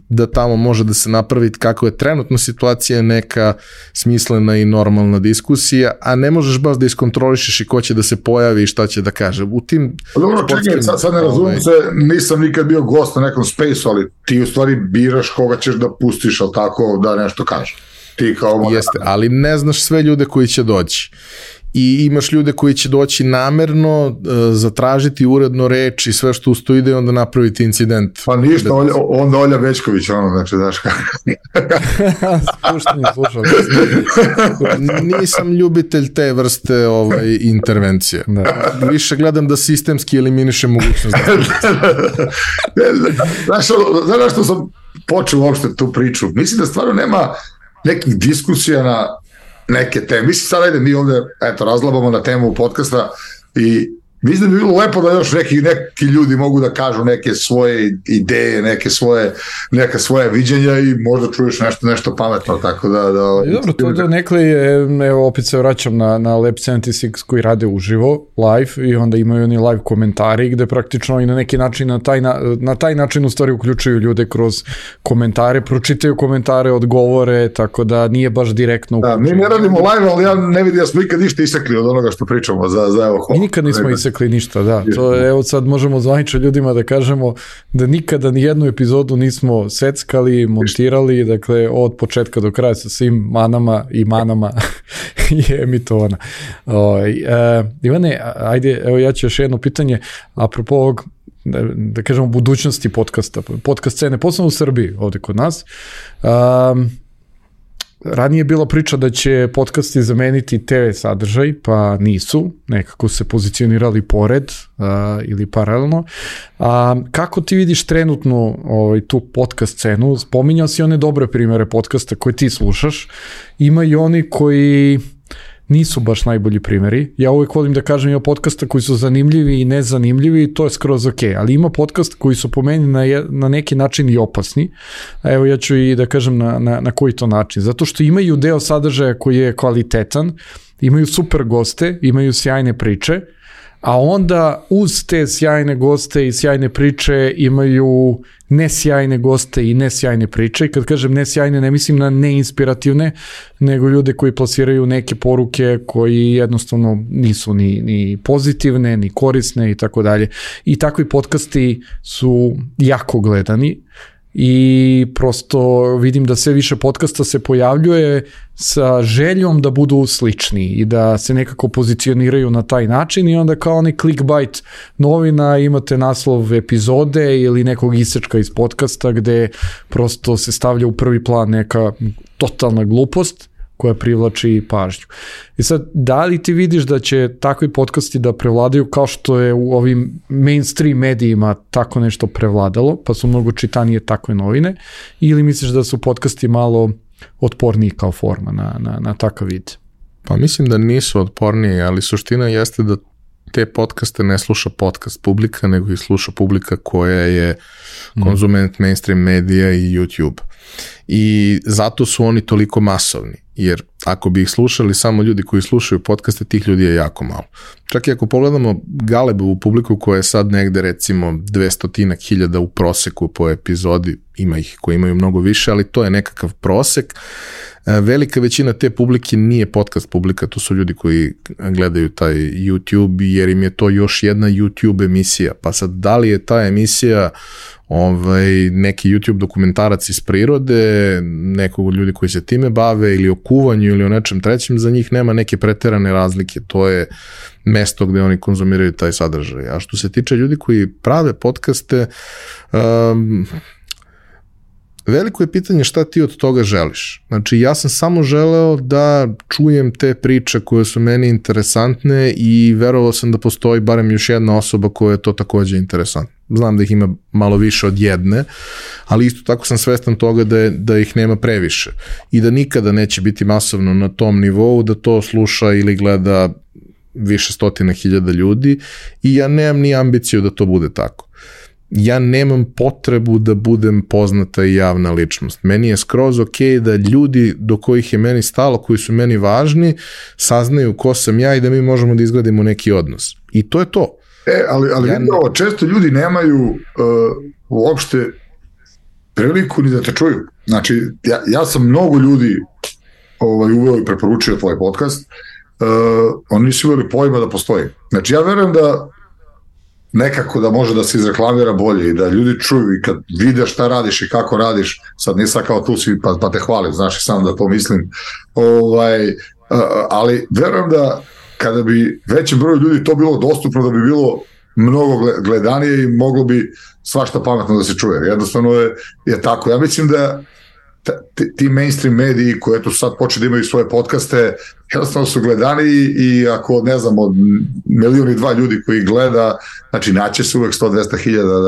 da tamo može da se napravi kako je trenutna situacija neka smislena i normalna diskusija, a ne možeš baš da iskontrolišeš i ko će da se pojavi i šta će da kaže. U tim... Dobro, čekaj, sad ne razumem se, nisam nikad bio gost na nekom spaceu, ali ti u stvari biraš koga ćeš da pustiš, ali tako da nešto kažeš. Ti kao... Jeste, ali ne znaš sve ljude koji će doći. I imaš ljude koji će doći namerno, zatražiti uredno reč i sve što usto ide, onda napraviti incident. Pa ništa, onda Olja Večković, znači, daš kako. Slušam. Nisam ljubitelj te vrste intervencije. Da. Više gledam da sistemski eliminiše mogućnost. Znaš što sam počeo uopšte tu priču? Mislim da stvarno nema nekih diskusija na neke teme. Mislim sad, ajde, mi ovde razlabamo na temu podcasta i mislim da bi bilo lepo da još neki ljudi mogu da kažu neke svoje ideje, neka svoje viđenja i možda čuješ nešto pametno, tako da... Dobro, to da nekle je, evo, opet se vraćam na Lab 76 koji rade uživo, live, i onda imaju oni live komentari gde praktično i na neki način, na taj način u stvari uključuju ljude kroz komentare, pročitaju komentare, odgovore, tako da nije baš direktno uključuju. Da, mi ne radimo live, ali ja ne vidim da smo ikad ništa isekli od onoga što pričamo za evo... Mi nikad nismo isekli ništa, da. To, evo sad možemo zvanično ljudima da kažemo da nikada ni jednu epizodu nismo seckali, montirali, dakle od početka do kraja sa svim manama je emitovana. Ivane, ajde, evo ja ću još jedno pitanje, apropo ovog, da kažemo, budućnosti podcasta, podcast scene, posebno u Srbiji, ovde kod nas. Ranije je bila priča da će podcasti zameniti TV sadržaj, pa nisu, nekako se pozicionirali pored ili paralelno. Kako ti vidiš trenutno tu podcast scenu? Spominjao si one dobre primere podcasta koje ti slušaš, ima i oni koji nisu baš najbolji primjeri. Ja uvijek volim da kažem, ima podcasta koji su zanimljivi i nezanimljivi, to je skroz ok, ali ima podcast koji su po meni na neki način i opasni. Evo ja ću i da kažem na koji to način. Zato što imaju deo sadržaja koji je kvalitetan, imaju super goste, imaju sjajne priče, a onda uz te sjajne goste i sjajne priče imaju nesjajne goste i nesjajne priče. I kad kažem nesjajne, ne mislim na neinspirativne, nego ljude koji plasiraju neke poruke koji jednostavno nisu ni pozitivne, ni korisne i tako dalje. I takvi podcasti su jako gledani i prosto vidim da sve više podcasta se pojavljuje sa željom da budu slični i da se nekako pozicioniraju na taj način i onda kao onaj clickbait novina imate naslov epizode ili nekog isečka iz podcasta gde prosto se stavlja u prvi plan neka totalna glupost koja privlači pažnju. I sad, da li ti vidiš da će takvi podcasti da prevladaju kao što je u ovim mainstream medijima tako nešto prevladalo, pa su mnogo čitanije takve novine, ili misliš da su podcasti malo otporniji kao forma na takav vid? Pa mislim da nisu otporniji, ali suština jeste da te podcaste ne sluša podcast publika, nego ih sluša publika koja je konzument mainstream medija i YouTube. I zato su oni toliko masovni, jer ako bi ih slušali samo ljudi koji slušaju podcaste, tih ljudi je jako malo. Čak i ako pogledamo Galebovu publiku koja je sad negde recimo 200.000 u proseku po epizodi, ima ih koji imaju mnogo više, ali to je nekakav prosek. Velika većina te publike nije podcast publika, to su ljudi koji gledaju taj YouTube, jer im je to još jedna YouTube emisija. Pa sad, da li je ta emisija neki YouTube dokumentarac iz prirode, nekog od ljudi koji se time bave ili o kuvanju ili o nečem trećem, za njih nema neke preterane razlike, to je mesto gde oni konzumiraju taj sadržaj. A što se tiče ljudi koji prave podcaste, veliko je pitanje šta ti od toga želiš. Znači, ja sam samo želeo da čujem te priče koje su meni interesantne i verovao sam da postoji barem još jedna osoba koja je to takođe interesantna. Znam da ih ima malo više od jedne, ali isto tako sam svestan toga da ih nema previše i da nikada neće biti masovno na tom nivou da to sluša ili gleda više stotina hiljada ljudi i ja nemam ni ambiciju da to bude tako. Ja nemam potrebu da budem poznata i javna ličnost. Meni je skroz ok da ljudi do kojih je meni stalo, koji su meni važni, saznaju ko sam ja i da mi možemo da izgradimo neki odnos. I to je to. Ali vidim da često ljudi nemaju uopšte priliku ni da te čuju. Znači, ja sam mnogo ljudi uveo i preporučio tvoj podcast, oni nisu imali pojma da postoji. Znači, ja verujem da nekako da može da se izreklamira bolje i da ljudi čuju i kad vide šta radiš i kako radiš, sad nisam kao tu svi pa te hvalim, znaš i sam da to mislim, ali verujem da kada bi većem broju ljudi to bilo dostupno, da bi bilo mnogo gledanije i moglo bi svašta pametno da se čuje. Jednostavno je tako. Ja mislim da ti mainstream mediji koji eto sad počne da imaju svoje podcaste, jednostavno su gledaniji i ako, ne znam, od 1,2 ljudi koji gleda, znači naće se uvek 100-200 hiljada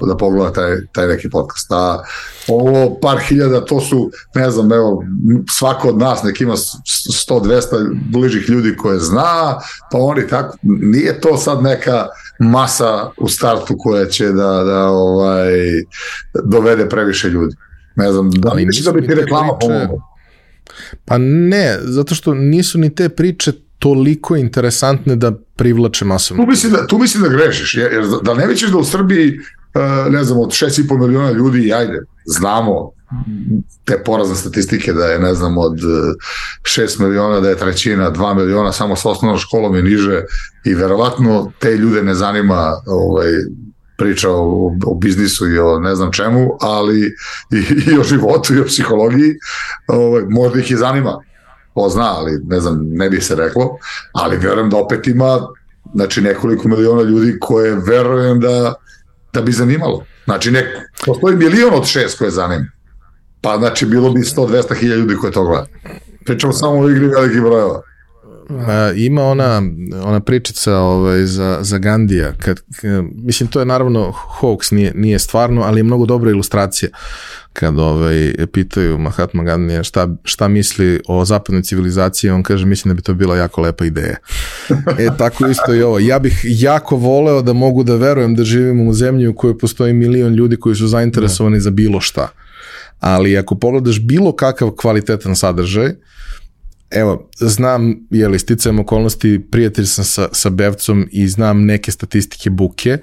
da pogleda taj neki podcast. A ovo par hiljada, to su, ne znam, evo, svako od nas nek ima 100-200 bližih ljudi koje zna, pa oni tako, nije to sad neka masa u startu koja će da dovede previše ljudi. Ne znam, da li misliš da bi ti reklama pomogla? Pa ne, zato što nisu ni te priče toliko interesantne da privlače masovno. Tu mislim da grešiš, jer da ne misliš da u Srbiji, ne znam, od 6,5 miliona ljudi, ajde, znamo te porazne statistike da je, ne znam, od 6 miliona da je trećina, 2 miliona samo sa osnovnom školom i niže i verovatno te ljude ne zanima priča o biznisu i o ne znam čemu, ali i o životu i o psihologiji, možda ih i zanima, ko zna, ali ne znam, ne bi se reklo, ali verujem da opet ima, znači, nekoliko miliona ljudi koje verujem da bi zanimalo. Znači, postoji 1,6 od koje zanima, pa znači bilo bi 100-200 hiljada ljudi koje to gleda. Pričamo samo o igri velikih brojeva. Ima ona pričica za Gandija, mislim, to je naravno hoax, nije stvarno, ali je mnogo dobra ilustracija kad pitaju Mahatma Gandija šta misli o zapadnoj civilizaciji, on kaže, mislim da bi to bila jako lepa ideja. Tako isto i ovo. Ja bih jako voleo da mogu da verujem da živimo u zemlji u kojoj postoji 1 milion ljudi koji su zainteresovani za bilo šta. Ali ako pogledaš bilo kakav kvalitetan sadržaj, evo, znam, sticajem okolnosti, prijatelj sam sa Bevcom i znam neke statistike buke,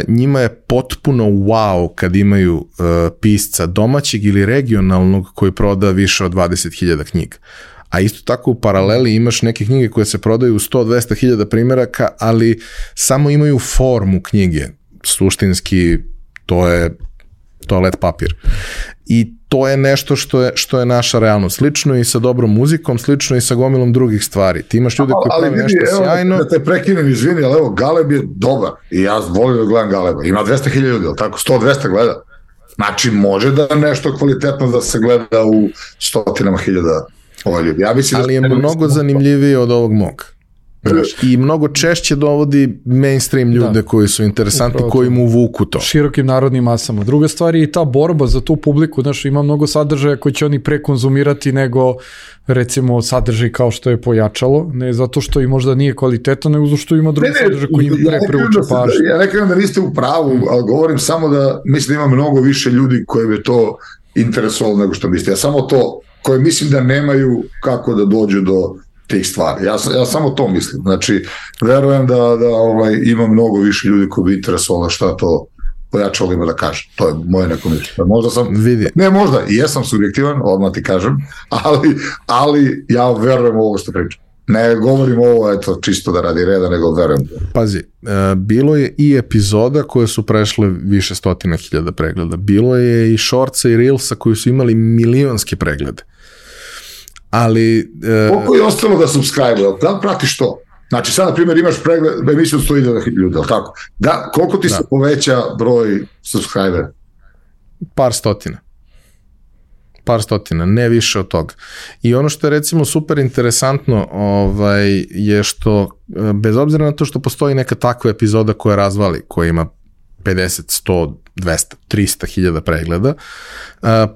njima je potpuno wow kad imaju pisca domaćeg ili regionalnog koji proda više od 20.000 knjiga. A isto tako u paraleli imaš neke knjige koje se prodaju u 100-200 hiljada primjeraka, ali samo imaju formu knjige. Suštinski, to je toalet papir. I to je nešto što je naša realnost. Slično i sa dobrom muzikom, slično i sa gomilom drugih stvari. Ti imaš ljude koji pravi nešto sjajno. Da te prekinem, izvini, ali evo, Galeb je dobar i ja volim da gledam Galeba. Ima 200.000 ljudi, ali tako, 100-200 gleda. Znači, može da nešto kvalitetno da se gleda u 100.000 ljudi. Ali je mnogo zanimljivije od ovog mog. I mnogo češće dovodi mainstream ljude koji su interesantni, koji mu vuku to. Širokim narodnim masama. Druga stvar je i ta borba za tu publiku, znaš, ima mnogo sadržaja koji će oni prekonzumirati nego, recimo, sadržaj kao što je Pojačalo, ne zato što i možda nije kvalitetan, nego zato što ima drugi sadržaj koji im prevuče pažnju. Ja ne kažem da niste u pravu, ali govorim samo da mislim da ima mnogo više ljudi koje bi to interesovalo nego što mislite. Ja samo to, koje mislim da nemaju kako da dođu do tih stvari. Ja samo to mislim. Znači, verujem da ima mnogo više ljudi koji bi interesovalo šta to Pojačalo ima da kaže. To je moje neko mišljenje. Možda sam, ne možda, i jesam subjektivan, odmah ti kažem, ali ja verujem u ovo što pričam. Ne govorim ovo, eto, čisto da radi reda, nego verujem. Pazi, bilo je i epizoda koje su prešle više 100.000 pregleda. Bilo je i shortsa i reelsa koji su imali milionske preglede. Ali... Koliko je ostalo da subscribe-u? Da li pratiš to? Znači, sad, na primjer, imaš pregled, emisiju od 100.000 ljudi, ali tako? Da, koliko ti se poveća broj subscribera? Par stotina, ne više od toga. I ono što je, recimo, super interesantno je što, bez obzira na to što postoji neka takva epizoda koja razvali, koja ima 50, 100, 200, 300 hiljada pregleda,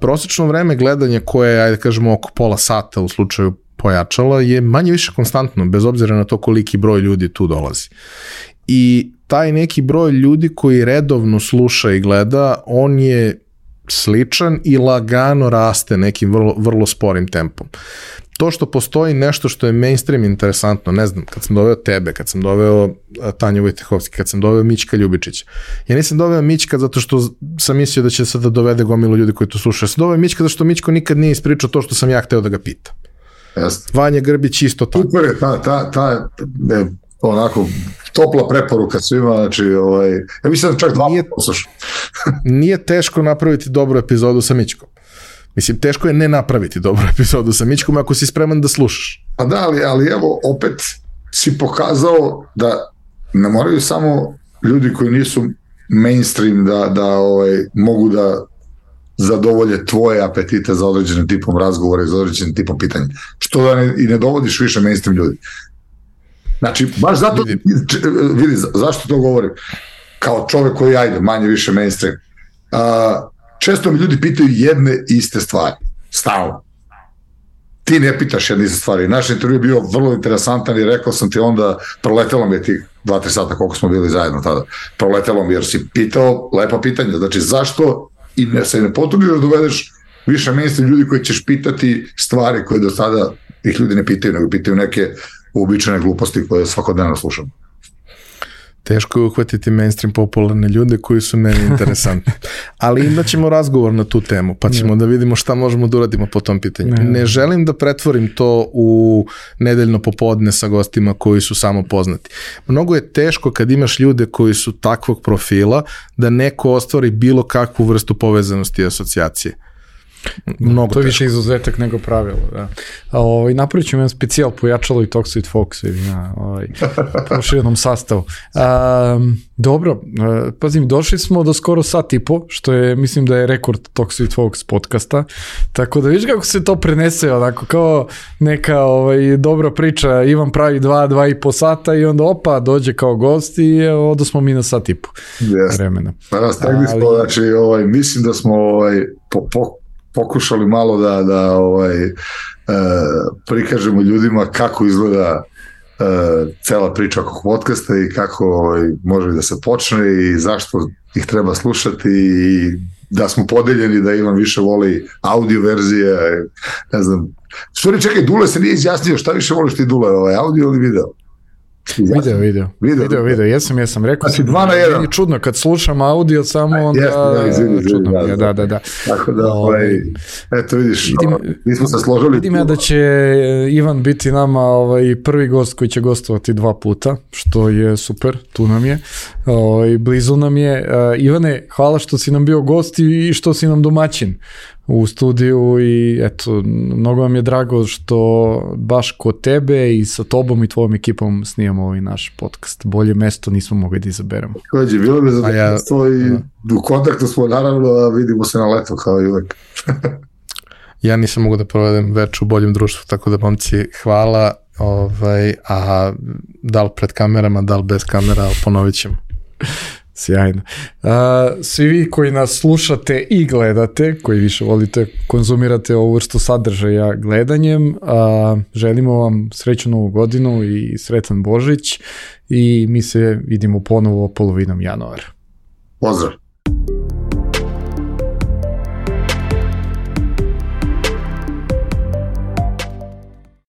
prosečno vreme gledanja koje je, ajde kažemo, oko pola sata u slučaju Pojačala je manje više konstantno, bez obzira na to koliki broj ljudi tu dolazi. I taj neki broj ljudi koji redovno sluša i gleda, on je sličan i lagano raste nekim vrlo sporim tempom. To što postoji nešto što je mainstream interesantno, ne znam, kad sam doveo tebe, kad sam doveo Tanju Vojtehovski, kad sam doveo Mićka Ljubičića. Ja nisam doveo Mićka zato što sam mislio da će sad da dovede gomilu ljudi koji to slušaju. Ja sam doveo Mićka zato što Mićko nikad nije ispričao to što sam ja hteo da ga pitam. Vanja Grbić isto tako. Super je, ta onako topla preporuka svima, znači ja mislim da čak 2 poslušam. Nije teško napraviti dobru epizodu sa Mićkom. Mislim, teško je ne napraviti dobru epizodu sa Mićkom ako si spreman da slušaš. Pa da, ali evo, opet si pokazao da ne moraju samo ljudi koji nisu mainstream da mogu da zadovolje tvoje apetite za određenim tipom razgovora i za određenim tipom pitanja. Što da i ne dovodiš više mainstream ljudi. Znači, baš zato, vidi, zašto to govorim? Kao čovek koji manje više mainstream. Često mi ljudi pitaju jedne iste stvari. Stalno. Ti ne pitaš jedne iste stvari. Naš intervju je bio vrlo interesantan i rekao sam ti onda, proletelo mi je ti 2-3 sata koliko smo bili zajedno tada. Proletelo mi jer si pitao lepa pitanja. Znači, zašto i se ne potrudiš da dovedeš više mainstream ljudi koji ćeš pitati stvari koje do sada ih ljudi ne pitaju, nego pitaju neke uobičajene gluposti koje svakodnevno slušam. Teško je uhvatiti mainstream popularne ljude koji su meni interesantni. Ali imat ćemo razgovor na tu temu, pa ćemo da vidimo šta možemo da uradimo po tom pitanju. Ne želim da pretvorim to u nedeljno popodne sa gostima koji su samo poznati. Mnogo je teško kad imaš ljude koji su takvog profila da neko ostvari bilo kakvu vrstu povezanosti i asocijacije. Mnogo to je više izuzetak nego pravilo. Da. Napravit ćemo jedan specijal pojačalo i Toxic Fox proširenom sastavu. Dobro, pazim, došli smo do skoro sat i po, što je, mislim da je rekord Toxic Fox podcasta, tako da vidiš kako se to prenese, onako kao neka dobra priča, Ivan pravi 2,5 sata i onda dođe kao gost i odo smo mi na sat i po vremena. Stegli smo, znači, mislim da smo pokušali malo da prikažemo ljudima kako izgleda cela priča oko podcasta i kako može da se počne i zašto ih treba slušati i da smo podeljeni, da Ivan više voli audio verzije, ne znam. Stvari, čekaj, Dule se nije izjasnio, šta više voliš ti, Dule, audio ili video? Video, jesam, rekao si 2 na 1. Meni čudno, kad slušam audio samo onda čudno. Da. Tako da, eto vidiš, mi smo se složili. Vidim ja da će Ivan biti nama prvi gost koji će gostovati 2 puta, što je super, tu nam je, blizu nam je. Ivane, hvala što si nam bio gost i što si nam domaćin u studiju i eto, mnogo vam je drago što baš kod tebe i sa tobom i tvojom ekipom snijamo ovaj naš podcast. Bolje mesto nismo mogli da izaberemo. Kođe, bilo bi zadovoljstvo i u kontaktu smo naravno, a vidimo se na leto kao i uvek. Ja nisam mogu da provedem več u boljem društvu, tako da momci hvala, a da li pred kamerama, da li bez kamera, ali ponovit ćemo. Sjajno. Svi vi koji nas slušate i gledate, koji više volite, konzumirate ovu vrstu sadržaja gledanjem, želimo vam srećnu novu godinu i sretan Božić i mi se vidimo ponovo polovinom januara. Pozdrav!